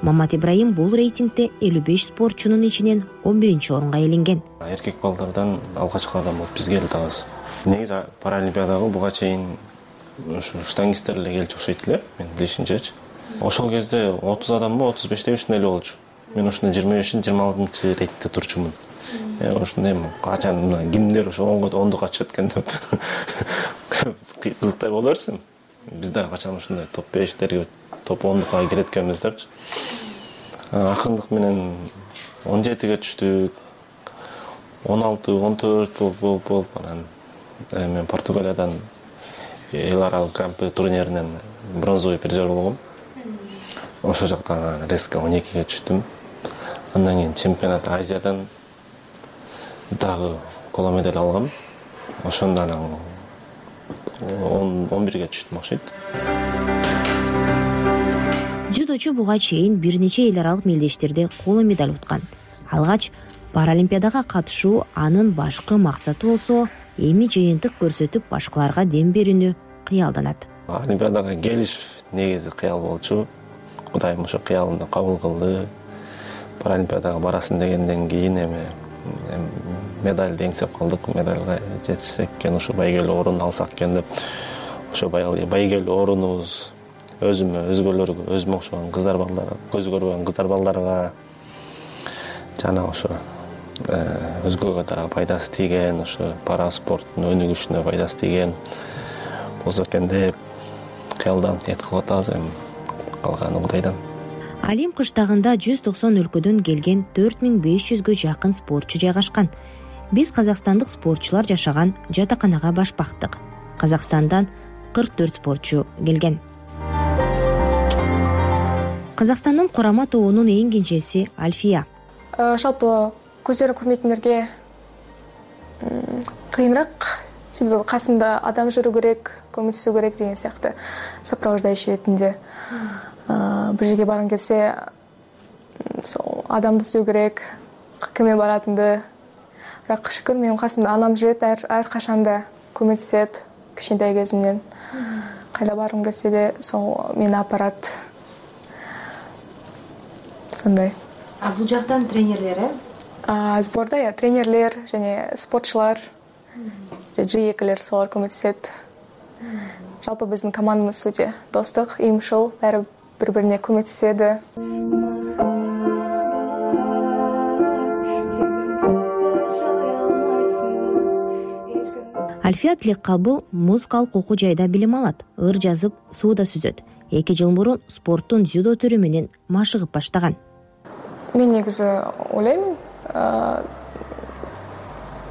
[SPEAKER 20] Мамат Ибраим бул рейтингде 55 спортчунун ичинен 11-орунга ээленген.
[SPEAKER 26] Эркек балдардан алгачкылардан болуп биз келдибиз. Негизи Паралимпиадага буга чейин ушу штангисттер эле келчү окшойт эле, мен билишимчечи. Ошол кезде 30 адамбы, 35 ушундай эле болчу. Мен ушундай 25-26 рейтте турчумун. Ошондой качан кимдер ошо 10-га чыгат экен деп кызыктай боло берсин. Биз дагы качан ушундай топ 5-терге, топ 10-га кирет экенбиз депчи. Акырындык менен 17ге түштүк. 16-14 болуп анан мен Португалиядан эл аралык гран-при турниринен бронзовый призер болгом. Ошол жактан резко 12ге түштүм. Андан кийин чемпионат Азиядан дагы коло медаль алгам. Ошондон 11ге түштүм окшойт.
[SPEAKER 20] Дзюдочу буга чейин бир нече эл аралык мелдештерде коло медаль уткан. Алгач Паралимпиадага катышуу анын башкы максаты болсо, эми жыйынтык көрсөтүп башкаларга дем берүүнү кыялданат.
[SPEAKER 26] Олимпиадага келиш негизи кыял болчу. Кудайым ошо кыялымды кабыл кылды. Паралимпиадага барасың дегенден кийин эми медаль деңсеп калдык. Медальга жетишсек экен, ошо байгелүү орун алсак экен деп. Ошо байгелүү орунубуз өзүмө, өзгөлөргө, өзүмө окшогон кыздар балдарга, көзү көрбөгөн кыздар балдарга жана ошо өзгөгө дагы пайдасы тийген, ошо пара спорттун өнүгүшүнө пайдасы тийген болсо экен деп кыялданып ниет кылып атабыз. Эми калганы Кудайдан.
[SPEAKER 20] Олимп кыштагында 190 өлкөдөн келген 4500гө жакын спортчу жайгашкан. Биз казакстандык спортчулар жашаган жатаканага баш бактык. Казакстандан 44 спортчу келген. Казакстандын курама тобунун эң кенжеси Альфия.
[SPEAKER 3] Жалпы көздөрү көрмөйтүндөргө кыйыныраак, себеби касында адам жүрүү керек, көмөтүшүү керек деген сыяктуу сопровождающий ретинде. Бир жерге баргың келсе, адамды сүйүү керек, кимге баратынды. Бирок шүкүр, менин касымда анам жүрөт, ар качанда көмөтүшөт кичинекей кезимден. Кайда баргым келсе де, сол мени апарат. Сондай.
[SPEAKER 20] Бул жактан тренерлер,
[SPEAKER 3] Сборда тренерлер және спортчулар, жыйекелер солар көмөтүшөт. Жалпы биздин командабыз өтө достук, уюмшул, баары бири-бирине көмөтүшөдү.
[SPEAKER 20] Альфия Тилеккабыл музыкалык окуу жайда билим алат, ыр жазып, сууда сүзөт. 2 жыл мурун спорттун дзюдо түрү менен машыгып баштаган.
[SPEAKER 3] Мен негизи ойлойм,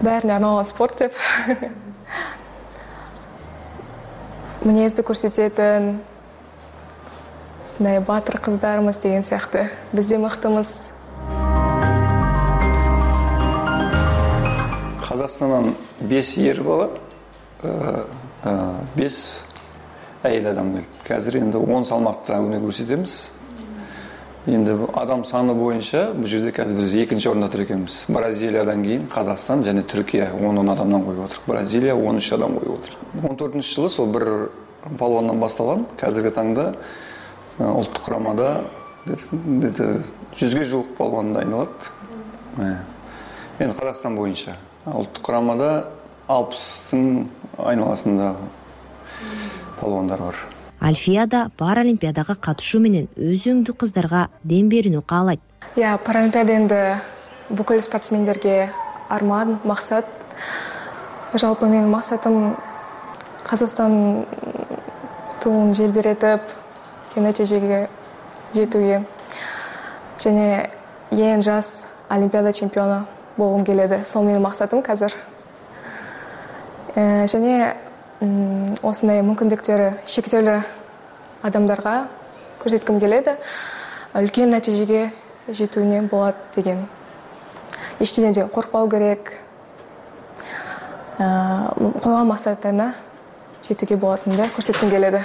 [SPEAKER 3] баарына арналган спорт деп. Мүнөздү көрсөтөтүн, сындай батыр кыздарыбыз деген сыяктуу. Биз да мыктымыз.
[SPEAKER 23] Казакстандан 5 ер бала, 5 әйел адам келди. Қазір енді 10 салмақта өнер көрсетеміз. Енді адам саны бойынша бұл жерде қазір біз екінші орында тұр екенбіз. Бразилиядан кейін Қазақстан және Түркия 10 адамнан қойып отыр. Бразилия 13 адам қойып отыр. 14 жылы сол бір палуаннан басталған. Қазіргі таңда ұлттық құрамада 100-ге жуық палуан дайындалады. Енді Қазақстан бойынша. Ұлттық құрамада 60-тың айналасындағы палуандар бар.
[SPEAKER 20] Альфияда Паралимпиадаға катышуу менен өзүңдү кыздарга дем берүүнү каалайт.
[SPEAKER 3] Паралимпиада енді бүкіл спортсмендерге арман, мақсат. Жалпы менің мақсатым Қазақстан туын желбіретіп, нәтижеге жетуге. Және ең жас Олимпиада чемпионы болғым келеді. Сол менің мақсатым қазір. Және осындай мүмкіндіктері шектеулі адамдарға көрсеткім келеді. Үлкен нәтижеге жетуіне болады деген. Ештеңеден қорықпау керек. Қойған мақсаттарына жетуге болатынды көрсеткім келеді.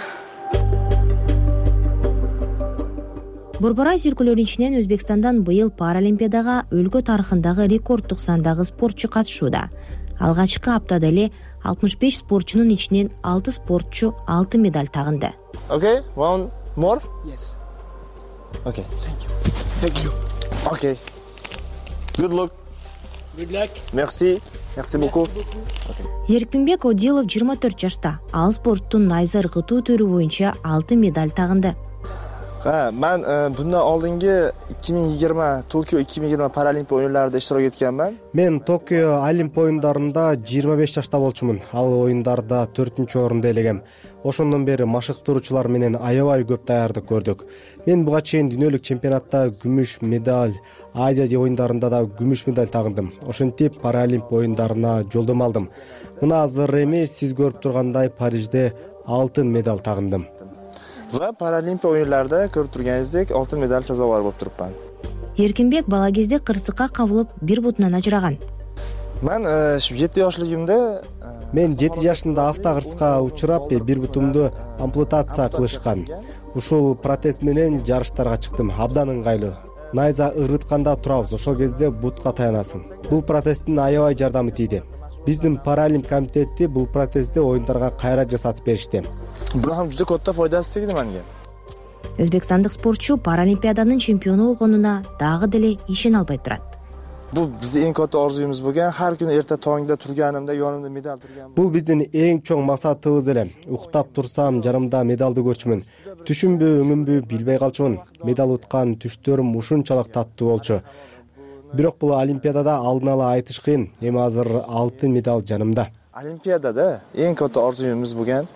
[SPEAKER 20] Борбор Азия өлкөлөрүнүн ичинен Өзбекстандан быйыл Паралимпиадага өлкө тарыхындагы рекорддук сандагы спортчу катышууда. Алгачкы аптада эле 65 спортчунун ичинен 6 спортчу алтын медаль тагынды.
[SPEAKER 4] Okay, one more? Yes. Okay, thank you. Thank you. Okay. Good luck. Good luck. Merci. Merci beaucoup.
[SPEAKER 20] Эркинбек Одилов 24 жашта. Ал спорттун найза ыргытуу түрү боюнча алтын медаль тагынды.
[SPEAKER 4] Мен bundan oldingi 2020 Tokyo 2020 Paralimpiya oyunlarida iştirak etganman.
[SPEAKER 5] Мен Токио Олимп оюндарында 25 жашта болчумун. Ал оюндарда 4-орунду ээлегем. Ошондон бери машыктыруучулар менен аябай көп даярдык көрдүк. Мен буга чейин дүйнөлүк чемпионатта күмүш медаль, Азия оюндарында да күмүш медаль тагындым. Ошентип Паралимп оюндарына жолдомо алдым. Мына азыр эмес, сиз көрүп тургандай Парижде алтын медаль тагындым.
[SPEAKER 4] Va Paralimpiya o'yinlarida ko'rib turganingizdek oltin medal sazovor bo'lib turibman.
[SPEAKER 20] Эркинбек бала кезде кырсыкка кабылып, бир бутунан ажыраган.
[SPEAKER 4] Men 7 yoshligimda
[SPEAKER 5] Мен 7 жашында автокырсыкка учурап, бир бутумду ампутация кылышкан. Ушул протез менен жарыштарга чыктым. Абдан ыңгайлуу. Найза ырытканда турабыз, ошол кезде бутка таянасың. Бул протездин аябай жардамы тийди. Биздин Паралимп комитети бул протезди оюндарга кайра жасатып беришти.
[SPEAKER 4] Бул ham juda katta foydasi tegdi menga.
[SPEAKER 20] Өзбекстандык спортчу Паралимпиаданын чемпиону болгонуна дагы деле ишене албай турат.
[SPEAKER 4] Бул биздин эң katta orzuyumuz bo'lgan, har kuni erta tongda turganimda yonimda medal turgan.
[SPEAKER 5] Бул биздин эң чоң максатыбыз эле. Уктап турсам, жарымда медалды көрчүмүн. Түшүмбү, өңүмбү билбей калчумун. Медал уткан түштөрүм ушунчалык таттуу болчу. Бирок бул Олимпиадада алдын ала айтыш кыйын. Эми азыр алтын медаль жанымда.
[SPEAKER 4] Олимпиадада эң katta orzuyumuz bo'lgan.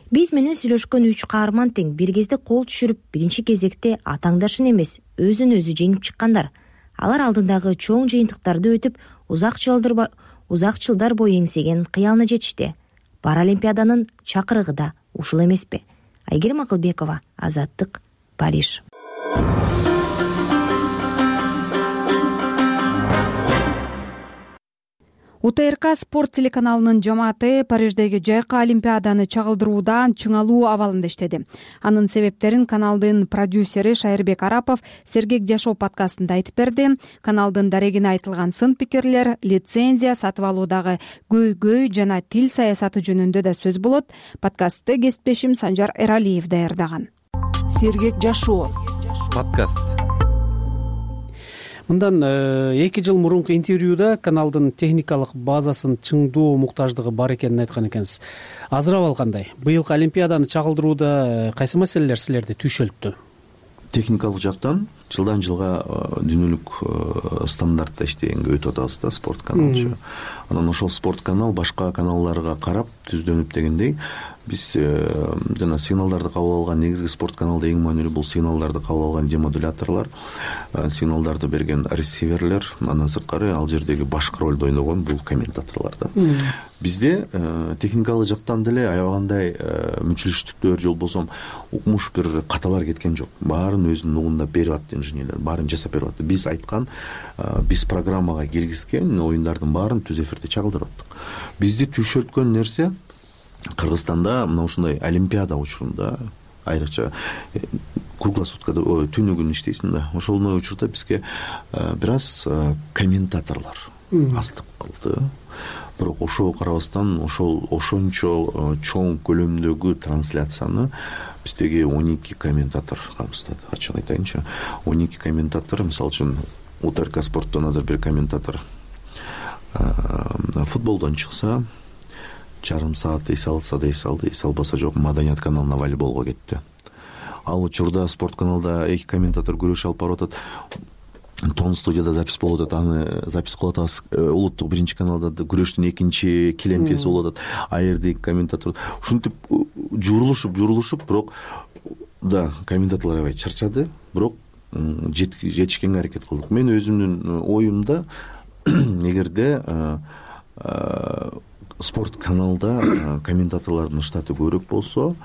[SPEAKER 20] Биз менен сүйлөшкөн 3 каарман тең бир кезде кол түшүрүп, биринчи кезекте атаңдашын эмес, өзүн өзү жеңип чыккандар. Алар алдындагы чоң жыйынтыктарды өтүп, узак жылдар бою эңсеген кыялына жетишти. Паралимпиаданын чакырыгы да ушул эмеспи? Айгерим Акылбекова, Азаттык, Париж.
[SPEAKER 25] УТРК спорт телеканалынын жамааты Париждеги жайкы Олимпиаданы чагылдыруудан чыңалуу абалында иштеди. Анын себептерин каналдын продюсери Шайырбек Арапов Сергек жашоо подкастында айтып берди. Каналдын дарегине айтылган сын пикирлер, лицензия сатып алуудагы көйгөй жана тил саясаты жөнүндө да сөз болот. Подкастты кесиптешим Санжар Эралиев даярдаган.
[SPEAKER 7] Сергек жашоо
[SPEAKER 6] подкаст.
[SPEAKER 8] Мындан 2 жыл мурунку интервьюда каналдын техникалык базасын чыңдоо муктаждыгы бар экенин айткан экенсиз. Азыр абал кандай? Быйылкы Олимпиаданы чагылдырууда кайсы маселелер силерди түйшөлттү?
[SPEAKER 24] Техникалык жактан жылдан жылга дүйнөлүк стандартта иштегенге өтүп атабыз да, спорт каналчы. Анан ошол спорт канал башка каналдарга карап түздөнүп дегендей биз жана сигналдарды кабыл алган негизги спорт каналда эң маанилүү бул сигналдарды кабыл алган демодуляторлор, сигналдарды берген ресиверлер, андан сырткары ал жердеги башкы ролду ойногон бул комментаторлор да. Бизде техникалык жактан деле аябагандай мүчүлүштүктөр же болбосо укмуш бир каталар кеткен жок. Баарын өзүнүн угунда берип атты инженерлер, баарын жасап берип атты. Биз айткан, биз программага киргизген оюндардын баарын түз эфирде чагылдырып аттык. Бизди түйшөлткөн нерсе Кыргызстанда мына ушундай олимпиада учурунда айрыкча круглосуткада түнү күнү иштейсиң да, ошондой учурда бизге бир аз комментаторлор аздык кылды. Бирок ошого карабастан ошончо чоң көлөмдөгү трансляцияны биздеги 12 комментатор камсыздады. Ачык айтайынчы, 12 комментатор, мисалы үчүн УТРК спорттон азыр бир комментатор футболдон чыкса, жарым саат эс алса да эс алды, эс албаса жок, Маданият каналына волейболго кетти. Ал учурда спорт каналда 2 комментатор күрөш алып барып атат. Тон студияда запись болуп атат, аны запись кылып атабыз. Улуттук 1-каналда күрөштүн 2 килемтеси болуп атат. А жерде 2 комментатор. Ушинтип журулушуп, бирок да комментаторлор аябай чарчады, бирок жетишкенге аракет кылдык. Мен өзүмдүн оюмда эгерде спорт каналда комментаторлордун штаты көбүрөөк болсо,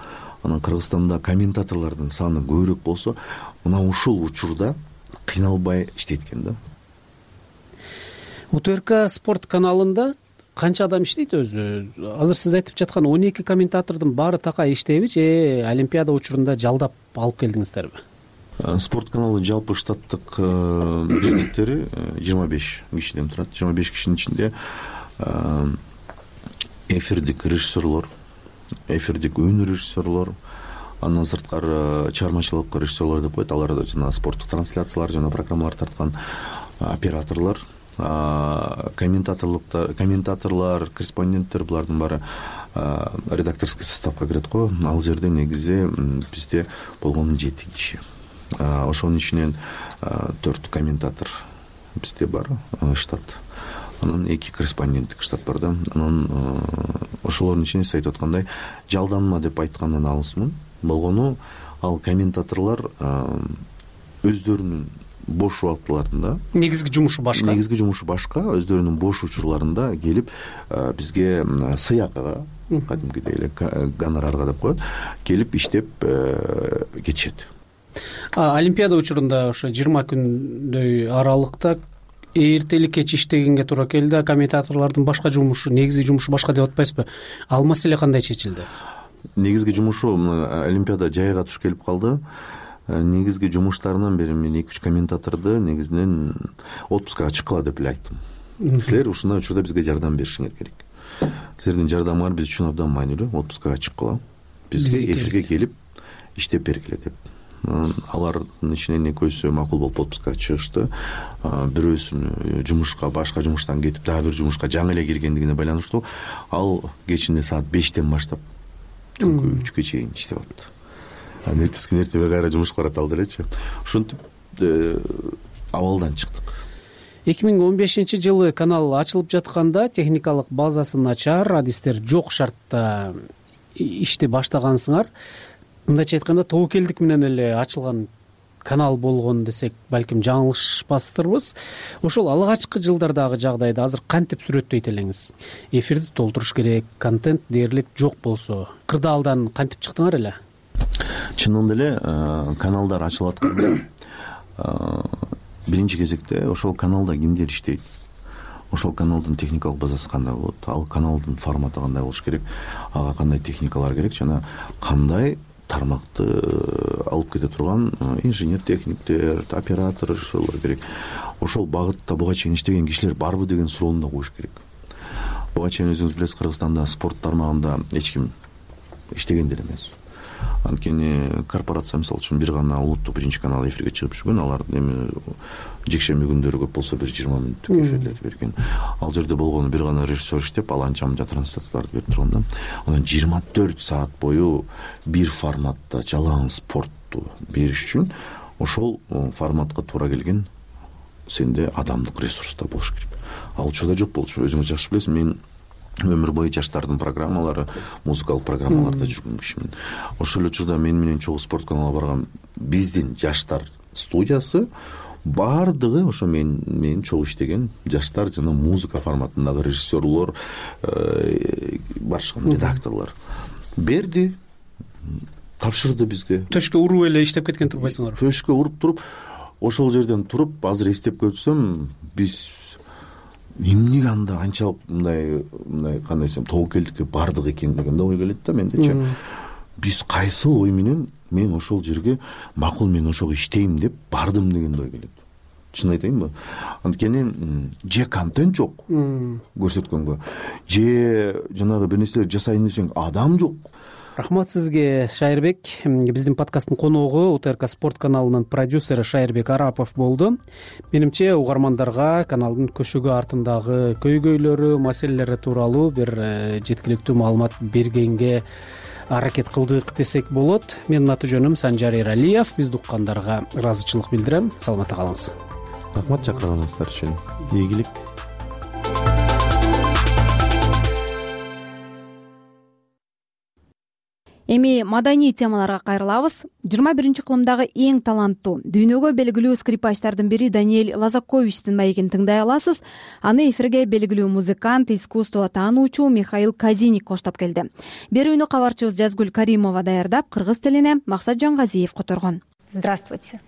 [SPEAKER 24] анан Кыргызстанда комментаторлордун саны көбүрөөк болсо, мына ушул учурда кыйналбай иштейт экен да.
[SPEAKER 8] УТРК спорт каналында канча адам иштейт өзү? Азыр сиз айтып жаткан 12 комментатордун баары такай иштейби же олимпиада учурунда жалдап алып келдиңиздерби?
[SPEAKER 24] Спорт каналы жалпы штаттык бирдиктери 25 кишиден турат. 25 кишинин ичинде эфирдик режиссерлор, эфирдик өнөр режиссерлор, андан сырткары чыгармачылык режиссерлор деп коет. Алар жана спорттук трансляциялар жана программалар тарткан операторлор, комментаторлор, корреспонденттер, булардын баары редакторский составка кирет го. Ал жерде негизи бизде болгону 7 киши. Ошонун ичинен 4 комментатор бизде бар штат. Анан 2 корреспонденттик штат бар да. Анан ошолордун ичинде сиз айтып аткандай жалданма деп айткандан алысмын. Болгону ал комментаторлор өздөрүнүн бош убактыларында
[SPEAKER 8] негизги жумушу
[SPEAKER 24] башка, өздөрүнүн бош учурларында келип бизге сыйакыга, кадимкидей эле гонорарга деп коет, келип иштеп кетишет.
[SPEAKER 8] Олимпиада учурунда ошо 20 күндөй аралыкта эртелик кеч иштегенге туура келди. Комментаторлордун башка жумушу, негизги жумушу башка деп атпайсызбы? Ал маселе кандай чечилди?
[SPEAKER 24] Негизги жумушу Олимпиада жайга туш келип калды. Негизги жумуштарынан бери мен 2-3 комментаторду негизинен отпускага чыккыла деп эле айттым. Силер ушундай учурда бизге жардам беришиңер керек. Силердин жардамыңар биз үчүн абдан маанилүү. Отпускага чыккыла, бизге эфирге келип иштеп бергиле деп. Алардын ичинен экөөсү макул болуп отпускага чыгышты. Бирөөсүн жумушка, башка жумуштан кетип, дагы бир жумушка жаңы эле киргендигине байланыштуу. Ал кечинде саат 5-тен баштап түнкү 3-кө чейин иштеп атты. Эртеси күнү эртеге кайра жумушка барат алдырчы. Ушинтип абалдан чыктык.
[SPEAKER 8] 2015-жылы канал ачылып жатканда техникалык базасы начар, адистер жок шартта ишти баштагансыңар. Мындайча айтканда тобокелдик менен эле ачылган канал болгон десек, балким жаңылышпастырбыз. Ошол алгачкы жылдардагы жагдайды азыр кантип сүрөттөйт элеңиз? Эфирди толтуруш керек, контент дээрлик жок болсо, кырдаалдан кантип чыктыңар эле?
[SPEAKER 24] Чынында эле каналдар ачылып атканда биринчи кезекте ошол каналда кимдер иштейт? Ошол каналдын техникалык базасы кандай болот? Ал каналдын форматы кандай болуш керек? Ага кандай техникалар керек жана кандай тармакты алып кете турган инженер, техниктер, операторлор керек. Ошол багытта буга чейин иштеген кишилер барбы деген суроону да коюш керек. Буга чейин өзүңүз билесиз, Кыргызстанда спорт тармагында эч ким иштегендер эмес. Анткени корпорация мисалы үчүн бир гана улуттук 1-канал эфирге чыгып жүргөн, алар эми жекшемби күндөрү көп болсо бир 20 мүнөттүк эфирлер берген. Ал жерде болгону бир гана режиссер иштеп, ал анча-мынча трансляцияларды берип турган да. Анан 24 саат бою бир форматта жалаң спортту бериш үчүн ошол форматка туура келген сенде адамдык ресурс да болуш керек. Ал учурда жок болчу. Өзүңүз жакшы билесиз, мен өмүр бою жаштардын программалары, музыкалык программаларда жүргөн кишимин. Ошол эле учурда мен менен чогуу спорт каналына барган биздин жаштар студиясы баардыгы ошо мен чогуу иштеген жаштар жана музыка форматындагы режиссерлор, барышкан редакторлор берди, тапшырды бизге.
[SPEAKER 8] Төшкө уруп эле иштеп кеткен турбайсыңарбы?
[SPEAKER 24] Төшкө уруп туруп, ошол жерден туруп азыр эстеп көрсөм, биз эмнеге анда анчалык мындай кандай десем тобокелдикке бардык экен деген да ой келет да мендечи. Биз кайсыл ой менен мен ошол жерге макул мен ошого иштейм деп бардым деген ой келет. Чын айтайынбы? Анткени же контент жок көрсөткөнгө, же жанагы бир нерселер жасайын десең адам жок.
[SPEAKER 8] Рахмат сизге, Шайырбек. Биздин подкасттын коногу УТРК спорт каналынын продюсери Шайырбек Арапов болду. Менимче угармандарга каналдын көшөгү артындагы көйгөйлөрү, маселелери тууралуу бир жеткиликтүү маалымат бергенге аракет кылдык десек болот. Менин аты жөнүм Санжар Эралиев. Бизди уккандарга ыраазычылык билдирем. Саламатта калыңыз.
[SPEAKER 24] Рахмат чакырганыңыздар үчүн. Ийгилик.
[SPEAKER 25] Эми маданий темаларга кайрылабыз. 21-кылымдагы эң таланттуу, дүйнөгө белгилүү скрипачтардын бири Даниэль Лазаковичтин маегин тыңдай аласыз. Аны эфирге белгилүү музыкант, искусство таануучу Михаил Казиник коштоп келди. Берүүнү кабарчыбыз Жазгүл Каримова даярдап, кыргыз тилине Максат Жангазиев которгон.
[SPEAKER 9] Здравствуйте.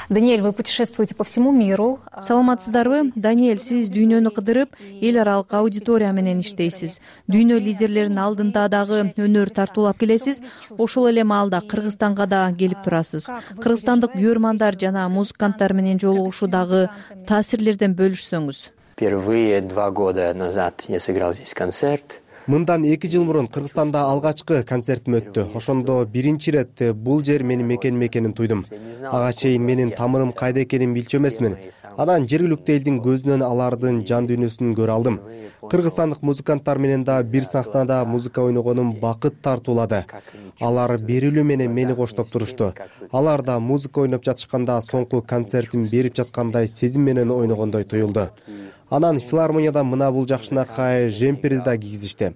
[SPEAKER 9] Даниэль, вы путешествуете по всему миру.
[SPEAKER 11] Саламатсыздарбы? Даниэль, сиз дүйнөнү кыдырып, эл аралык аудитория менен иштейсиз. Дүйнө лидерлеринин алдында дагы өнөр тартуулап келесиз. Ошол эле маалда Кыргызстанга да келип турасыз. Кыргызстандык көрөрмандар жана музыканттар менен жолугушуудагы таасирлерден бөлүшсөңүз.
[SPEAKER 10] Впервые 2 года назад я сыграл здесь концерт.
[SPEAKER 5] Мындан 2 жыл мурун Кыргызстанда алгачкы концертим өттү. Ошондо биринчи ирет бул жер менин мекеним экенин туйдум. Ага чейин менин тамырым кайда экенин билчү эмесмин. Анан жергиликтүү элдин көзүнөн алардын жан дүйнөсүн көрө алдым. Кыргызстандык музыканттар менен да бир сахнада музыка ойногонум бакыт тартуулады. Алар берилүү менен мени коштоп турушту. Алар да музыка ойноп жатышканда соңку концертин берип жаткандай сезим менен ойногондой туюлду. Анан филармонияда мына бул жакшынакай жемперди да кийгизишти.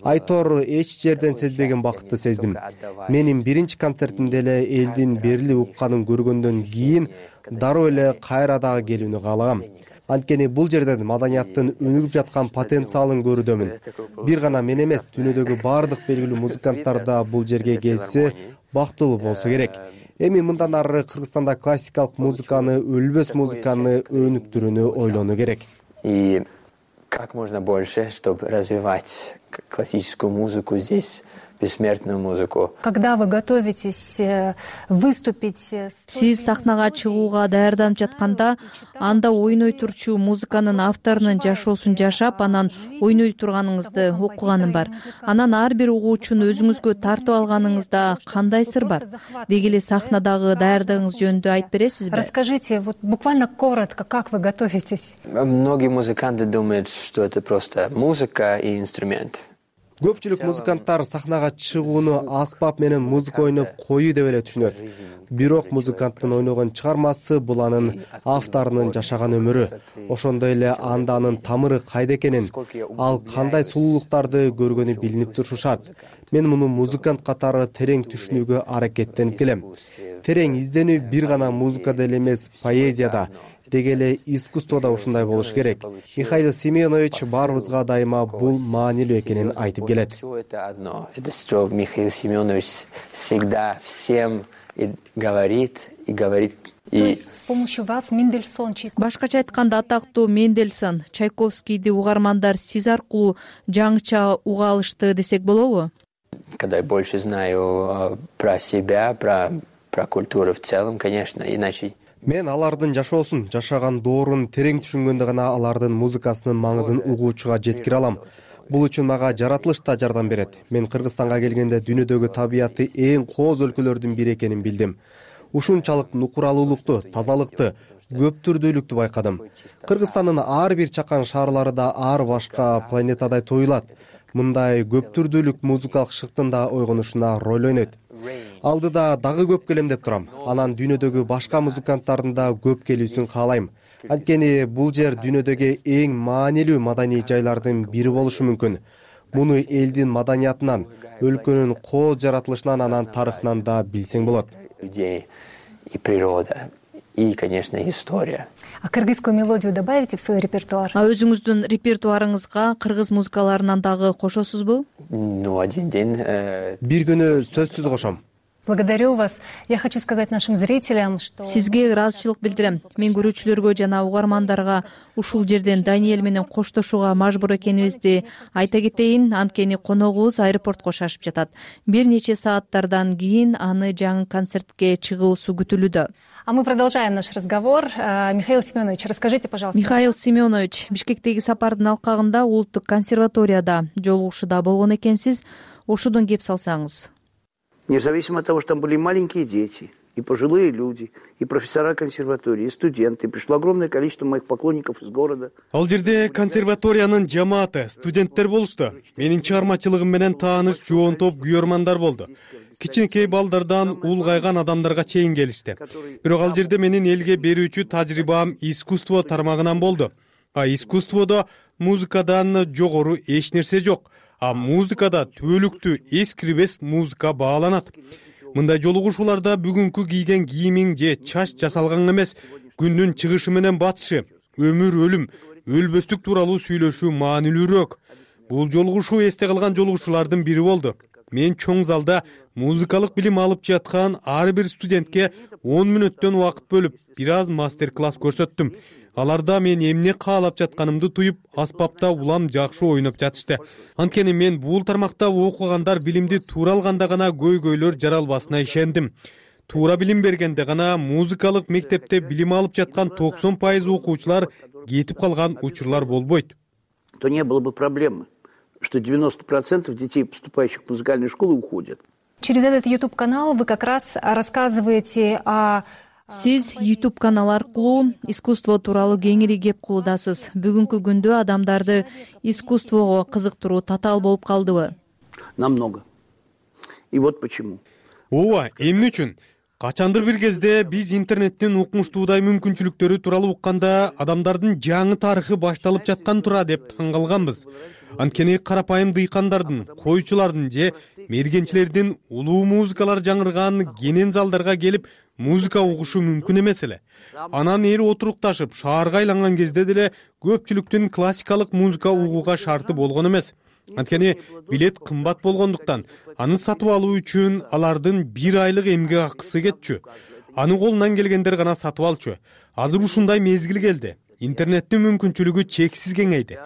[SPEAKER 5] Айтор эч жерден сезбеген бакытты сездим. Менин биринчи концертимде эле элдин берилип укканын көргөндөн кийин дароо эле кайра дагы келүүнү каалагам. Анткени бул жерден маданияттын өнүгүп жаткан потенциалын көрүүдөмүн. Бир гана мен эмес, дүйнөдөгү баардык белгилүү музыканттар да бул жерге келсе бактылуу болсо керек. Эми мындан ары Кыргызстанда классикалык музыканы, өлбөс музыканы өнүктүрүүнү ойлонуу керек.
[SPEAKER 10] И как можно больше, чтобы развивать классическую музыку здесь, бессмертную музыку.
[SPEAKER 9] Когда вы готовитесь выступить?
[SPEAKER 11] Сиз сахнага чыгууга даярданып жатканда, анда ойной турчу музыканын авторунун жашоосун жашап, анан ойной турганыңызды окуганым бар. Анан ар бир угуучуну өзүңүзгө тартып алганыңызда кандай сыр бар? Деги эле сахнадагы даярдыгыңыз жөнүндө айтып бересизби?
[SPEAKER 9] Расскажите, вот буквально коротко, как вы готовитесь?
[SPEAKER 10] Многие музыканты думают, что это просто музыка и инструмент.
[SPEAKER 5] Көпчүлүк музыканттар сахнага чыгууну аспап менен музыка ойноп коюу деп эле түшүнөт. Бирок музыканттын ойногон чыгармасы бул анын авторунун жашаган өмүрү. Ошондой эле анда анын тамыры кайда экенин, ал кандай сулуулуктарды көргөнү билинип турушу шарт. Мен муну музыкант катары терең түшүнүүгө аракеттенип келем. Терең изденүү бир гана музыкада эле эмес, поэзияда, деги эле искусствода ушундай болуш керек. Михаил Семенович баарыбызга дайыма бул маанилүү экенин айтып келет.
[SPEAKER 10] Это что Михаил Семенович всегда всем говорит и говорит.
[SPEAKER 9] То есть с помощью вас Мендельсон, Чайковский.
[SPEAKER 11] Башкача айтканда атактуу Мендельсон, Чайковскийди угармандар сиз аркылуу жаңыча уга алышты десек болобу?
[SPEAKER 10] Когда я больше знаю про себя, про культуру в целом, конечно, иначе.
[SPEAKER 5] Мен алардын жашоосун, жашаган доорун терең түшүнгөндө гана алардын музыкасынын маңызын угуучуга жеткире алам. Бул үчүн мага жаратылыш да жардам берет. Мен Кыргызстанга келгенде дүйнөдөгү табиятты эң кооз өлкөлөрдүн бири экенин билдим. Ушунчалык нукуралуулукту, тазалыкты, көп түрдүүлүктү байкадым. Кыргызстандын ар бир чакан шаарлары да ар башка планетадай туюлат. Мындай көп түрдүүлүк музыкалык шыктын да ойгонушуна роль ойнойт. Алдыда дагы көп келем деп турам. Анан дүйнөдөгү башка музыканттардын да көп келүүсүн каалайм. Анткени бул жер дүйнөдөгү эң маанилүү маданий жайлардын бири болушу мүмкүн. Муну элдин маданиятынан, өлкөнүн кооз жаратылышынан, анан тарыхынан да билсең болот.
[SPEAKER 10] Людей и природа, и, конечно, история.
[SPEAKER 9] А кыргызскую мелодию добавите в свой репертуар?
[SPEAKER 11] А өзүңүздүн репертуарыңызга кыргыз музыкаларынан дагы кошосузбу?
[SPEAKER 10] Ну, один день.
[SPEAKER 5] Бир күнү сөзсүз кошом.
[SPEAKER 9] Благодарю вас. Я хочу сказать нашим зрителям, что...
[SPEAKER 11] Сизге ыраазычылык билдирем. Мен көрүүчүлөргө жана угармандарга ушул жерден Даниэль менен коштошууга мажбур экенибизди айта кетейин, анткени коногубуз аэропортко шашып жатат. Бир нече сааттардан кийин аны жаңы концертке чыгуусу күтүлүүдө.
[SPEAKER 9] А мы продолжаем наш разговор. Михаил Семенович, расскажите, пожалуйста.
[SPEAKER 11] Михаил Семенович, Бишкектеги сапардын алкагында Улуттук консерваторияда жолугушууда болгон экенсиз. Ошодон кеп салсаңыз.
[SPEAKER 12] Независимо от того, что там были маленькие дети, и пожилые люди, и профессора консерватории, и студенты. Пришло огромное количество моих поклонников из города.
[SPEAKER 13] Ал жерде консерваториянын жамааты, студенттер болушту. Менин чыгармачылыгым менен тааныш жоон топ күйөрмандар болду. Кичинекей балдардан улгайган адамдарга чейин келишти. Бирок ал жерде менин элге берүүчү тажрыйбам искусство тармагынан болду. Искусстводо музыкадан жогору эч нерсе жок. Музыкада түбөлүктүү эскирбес музыка бааланат. Мындай жолугушууларда бүгүнкү кийген кийимиң же чач жасалган эмес, күндүн чыгышы менен батышы, өмүр өлүм, өлбөстүк тууралуу сүйлөшүү маанилүүрөөк. Бул жолугушуу эсте калган жолугушуулардын бири болду. Мен чоң залда музыкалык билим алып жаткан ар бир студентке 10 мүнөттөн убакыт бөлүп, бир аз мастер-класс көрсөттүм. Аларда мен эмне каалап жатканымды туюп, аспапта улам жакшы ойноп жатышты. Анткени мен бул тармакта окугандар билимди туура алганда гана көйгөйлөр жаралбасына ишендим. Туура билим бергенде гана музыкалык мектепте билим алып жаткан 90% окуучулар кетип калган учурлар болбойт.
[SPEAKER 12] То не было бы проблемы, что 90% детей, поступающих в музыкальную школу, уходят.
[SPEAKER 9] Через этот YouTube-канал вы как раз рассказываете о...
[SPEAKER 11] Сиз YouTube канал аркылуу искусство тууралуу кеңири кеп кылуудасыз. Бүгүнкү күндө адамдарды искусствого кызыктыруу татаал болуп калдыбы?
[SPEAKER 12] Намного. И вот почему.
[SPEAKER 13] Ооба, эмне үчүн? Качандыр бир кезде биз интернеттин укмуштуудай мүмкүнчүлүктөрү тууралуу укканда адамдардын жаңы тарыхы башталып жаткан тура деп таң калганбыз. Анткени карапайым дыйкандардын, койчулардын же мергенчилердин улуу музыкалар жаңырган кенен залдарга келип музыка угушу мүмкүн эмес эле. Анан эл отурукташып шаарга айланган кезде деле көпчүлүктүн классикалык музыка угууга шарты болгон эмес. Анткени билет кымбат болгондуктан аны сатып алуу үчүн алардын 1 айлык эмгек акысы кетчү. Аны колунан келгендер гана сатып алчу. Азыр ушундай мезгил келди. Интернеттин мүмкүнчүлүгү чексиз кеңейди.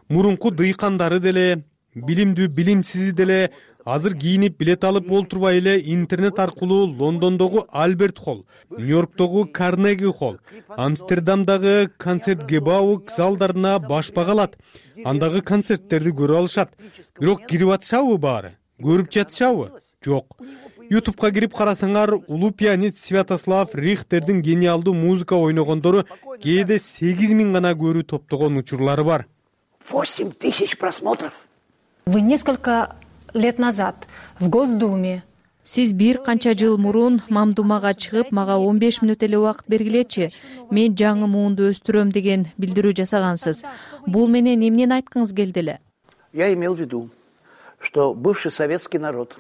[SPEAKER 13] Мурунку дыйкандары деле, билимдүү билимсизи деле азыр кийинип билет алып олтурбай эле интернет аркылуу Лондондогу Альберт Холл, Нью-Йорктогу Карнеги Холл, Амстердамдагы концерт-гебау залдарына башпак алат. Андагы концерттерди көрүп алышат. Бирок кирип атышабы баары? Көрүп жатышабы? Жок. YouTube'га кирип карасаңар, улуу пианист Святослав Рихтердин гениалдуу музыка ойногондору кээде 8000 гана көрүү топтогон учурлары бар.
[SPEAKER 12] 8000 просмотров.
[SPEAKER 9] Вы несколько лет назад в Госдуме.
[SPEAKER 11] Сиз бир канча жыл мурун Мамдумага чыгып, мага 15 мүнөт эле убакыт бергилечи. Мен жаңы муунду өстүрөм деген билдирүү жасагансыз. Бул менен эмнени айткыңыз келди эле?
[SPEAKER 12] Я имел в виду, что бывший советский народ.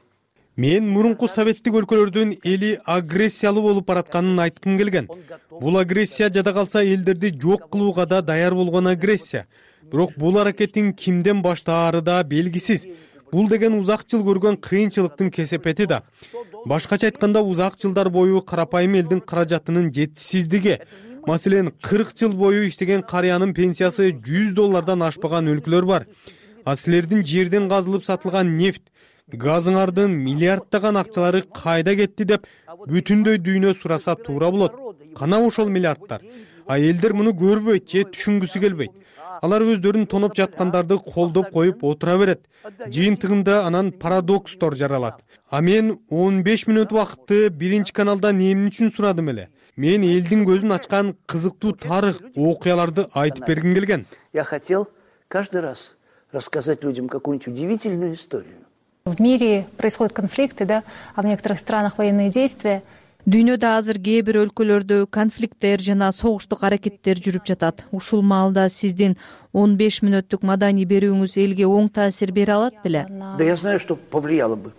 [SPEAKER 13] Мен мурунку советтик өлкөлөрдүн эли агрессиялуу болуп баратканын айткым келген. Бул агрессия жада калса элдерди жок кылууга да даяр болгон агрессия. Бирок бул аракеттин кимден баштаары да белгисиз. Бул деген узак жыл көргөн кыйынчылыктын кесепети да. Башкача айтканда, узак жылдар бою карапайым элдин каражатынын жетишсиздиги. Маселен, 40 жыл бою иштеген карыянын пенсиясы $100 ашпаган өлкөлөр бар. Силердин жерден казылып сатылган нефть, газыңардын миллиарддаган акчалары кайда кетти деп бүтүндөй дүйнө сураса туура болот. Кана ошол миллиарддар? Элдер муну көрбөйт же түшүнгүсү келбейт. Алар өздөрүн тоноп жаткандарды колдоп коюп отура берет. Жыйынтыгында анан парадокстор жаралат. Мен 15 мүнөт убакытты биринчи каналдан эмне үчүн сурадым эле? Мен элдин көзүн ачкан кызыктуу тарых, окуяларды айтып бергим келген.
[SPEAKER 12] Я хотел каждый раз рассказать людям какую-нибудь удивительную историю.
[SPEAKER 9] В мире происходят конфликты, да, а в некоторых странах военные действия.
[SPEAKER 11] Дүйнөдө азыр кээ бир өлкөлөрдө конфликттер жана согуштук аракеттер жүрүп жатат. Ушул маалда сиздин 15 мүнөттүк маданий берүүңүз элге оң таасир бере алат беле?
[SPEAKER 12] Да я знаю, что повлияло бы.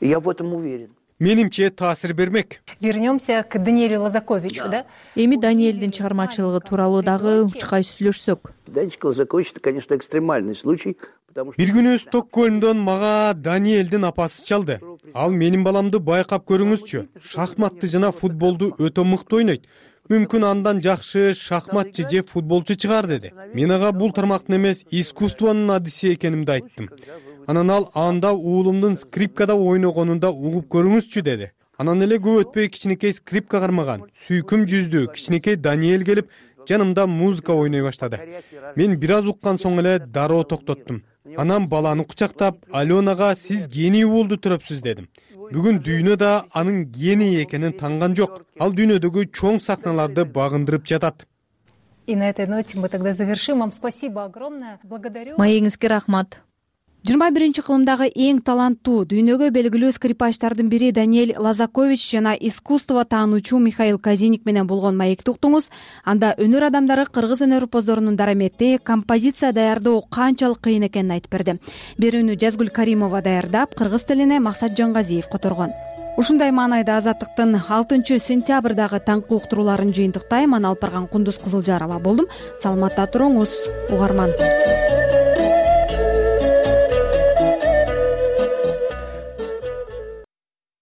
[SPEAKER 12] И я в этом уверен.
[SPEAKER 13] Менимче таасир бермек.
[SPEAKER 9] Вернемся к Даниэлю Лазаковичу, да?
[SPEAKER 11] Эми Даниэлдин чыгармачылыгы тууралуу дагы учкай сүйлөшсөк.
[SPEAKER 12] Данечка Лазакович — это, конечно, экстремальный случай
[SPEAKER 13] Бир күнү Стокгольмдон мага Даниэлдин апасы чалды. Ал менин баламды байкап көрүңүзчү. Шахматты жана футболду өтө мыкты ойнойт. Мүмкүн андан жакшы шахматчы же футболчу чыгар деди. Мен ага бул тармактын эмес, искусствонун адиси экенимди айттым. Анан ал анда уулумдун скрипкада ойногонун да угуп көрүңүзчү деди. Анан эле көп өтпөй кичинекей скрипка кармаган, сүйкүм жүздүү кичинекей Даниэль келип жанымда музыка ойной баштады. Мен бир аз уккан соң эле дароо токтоттум. Анан баланы кучактап, Аленага сиз гений уулду төрөпсүз дедим. Бүгүн дүйнөдө анын гений экенин танган жок. Ал дүйнөдөгү чоң сахналарды багындырып жатат.
[SPEAKER 9] И на этой ноте мы тогда завершим. Вам спасибо огромное. Благодарю.
[SPEAKER 11] Маегиңизге рахмат.
[SPEAKER 25] 21-кылымдагы эң таланттуу, дүйнөгө белгилүү скрипачтардын бири Даниэль Лазакович жана искусство таануучу Михаил Казиник менен болгон маекти уктуңуз. Анда өнөр адамдары кыргыз өнөр опоздорунун дарамети, композиция даярдоо канчалык кыйын экенин айтып берди. Берүүнү Жазгүл Каримова даярдап, кыргыз тилине Максат Жангазиев которгон. Ушундай маанайда Азаттыктын 6-сентябрдагы таңкы уктурууларын жыйынтыктайм. Аны алып барган Кундуз Кызылжарова болдум. Саламатта туруңуз, угарман.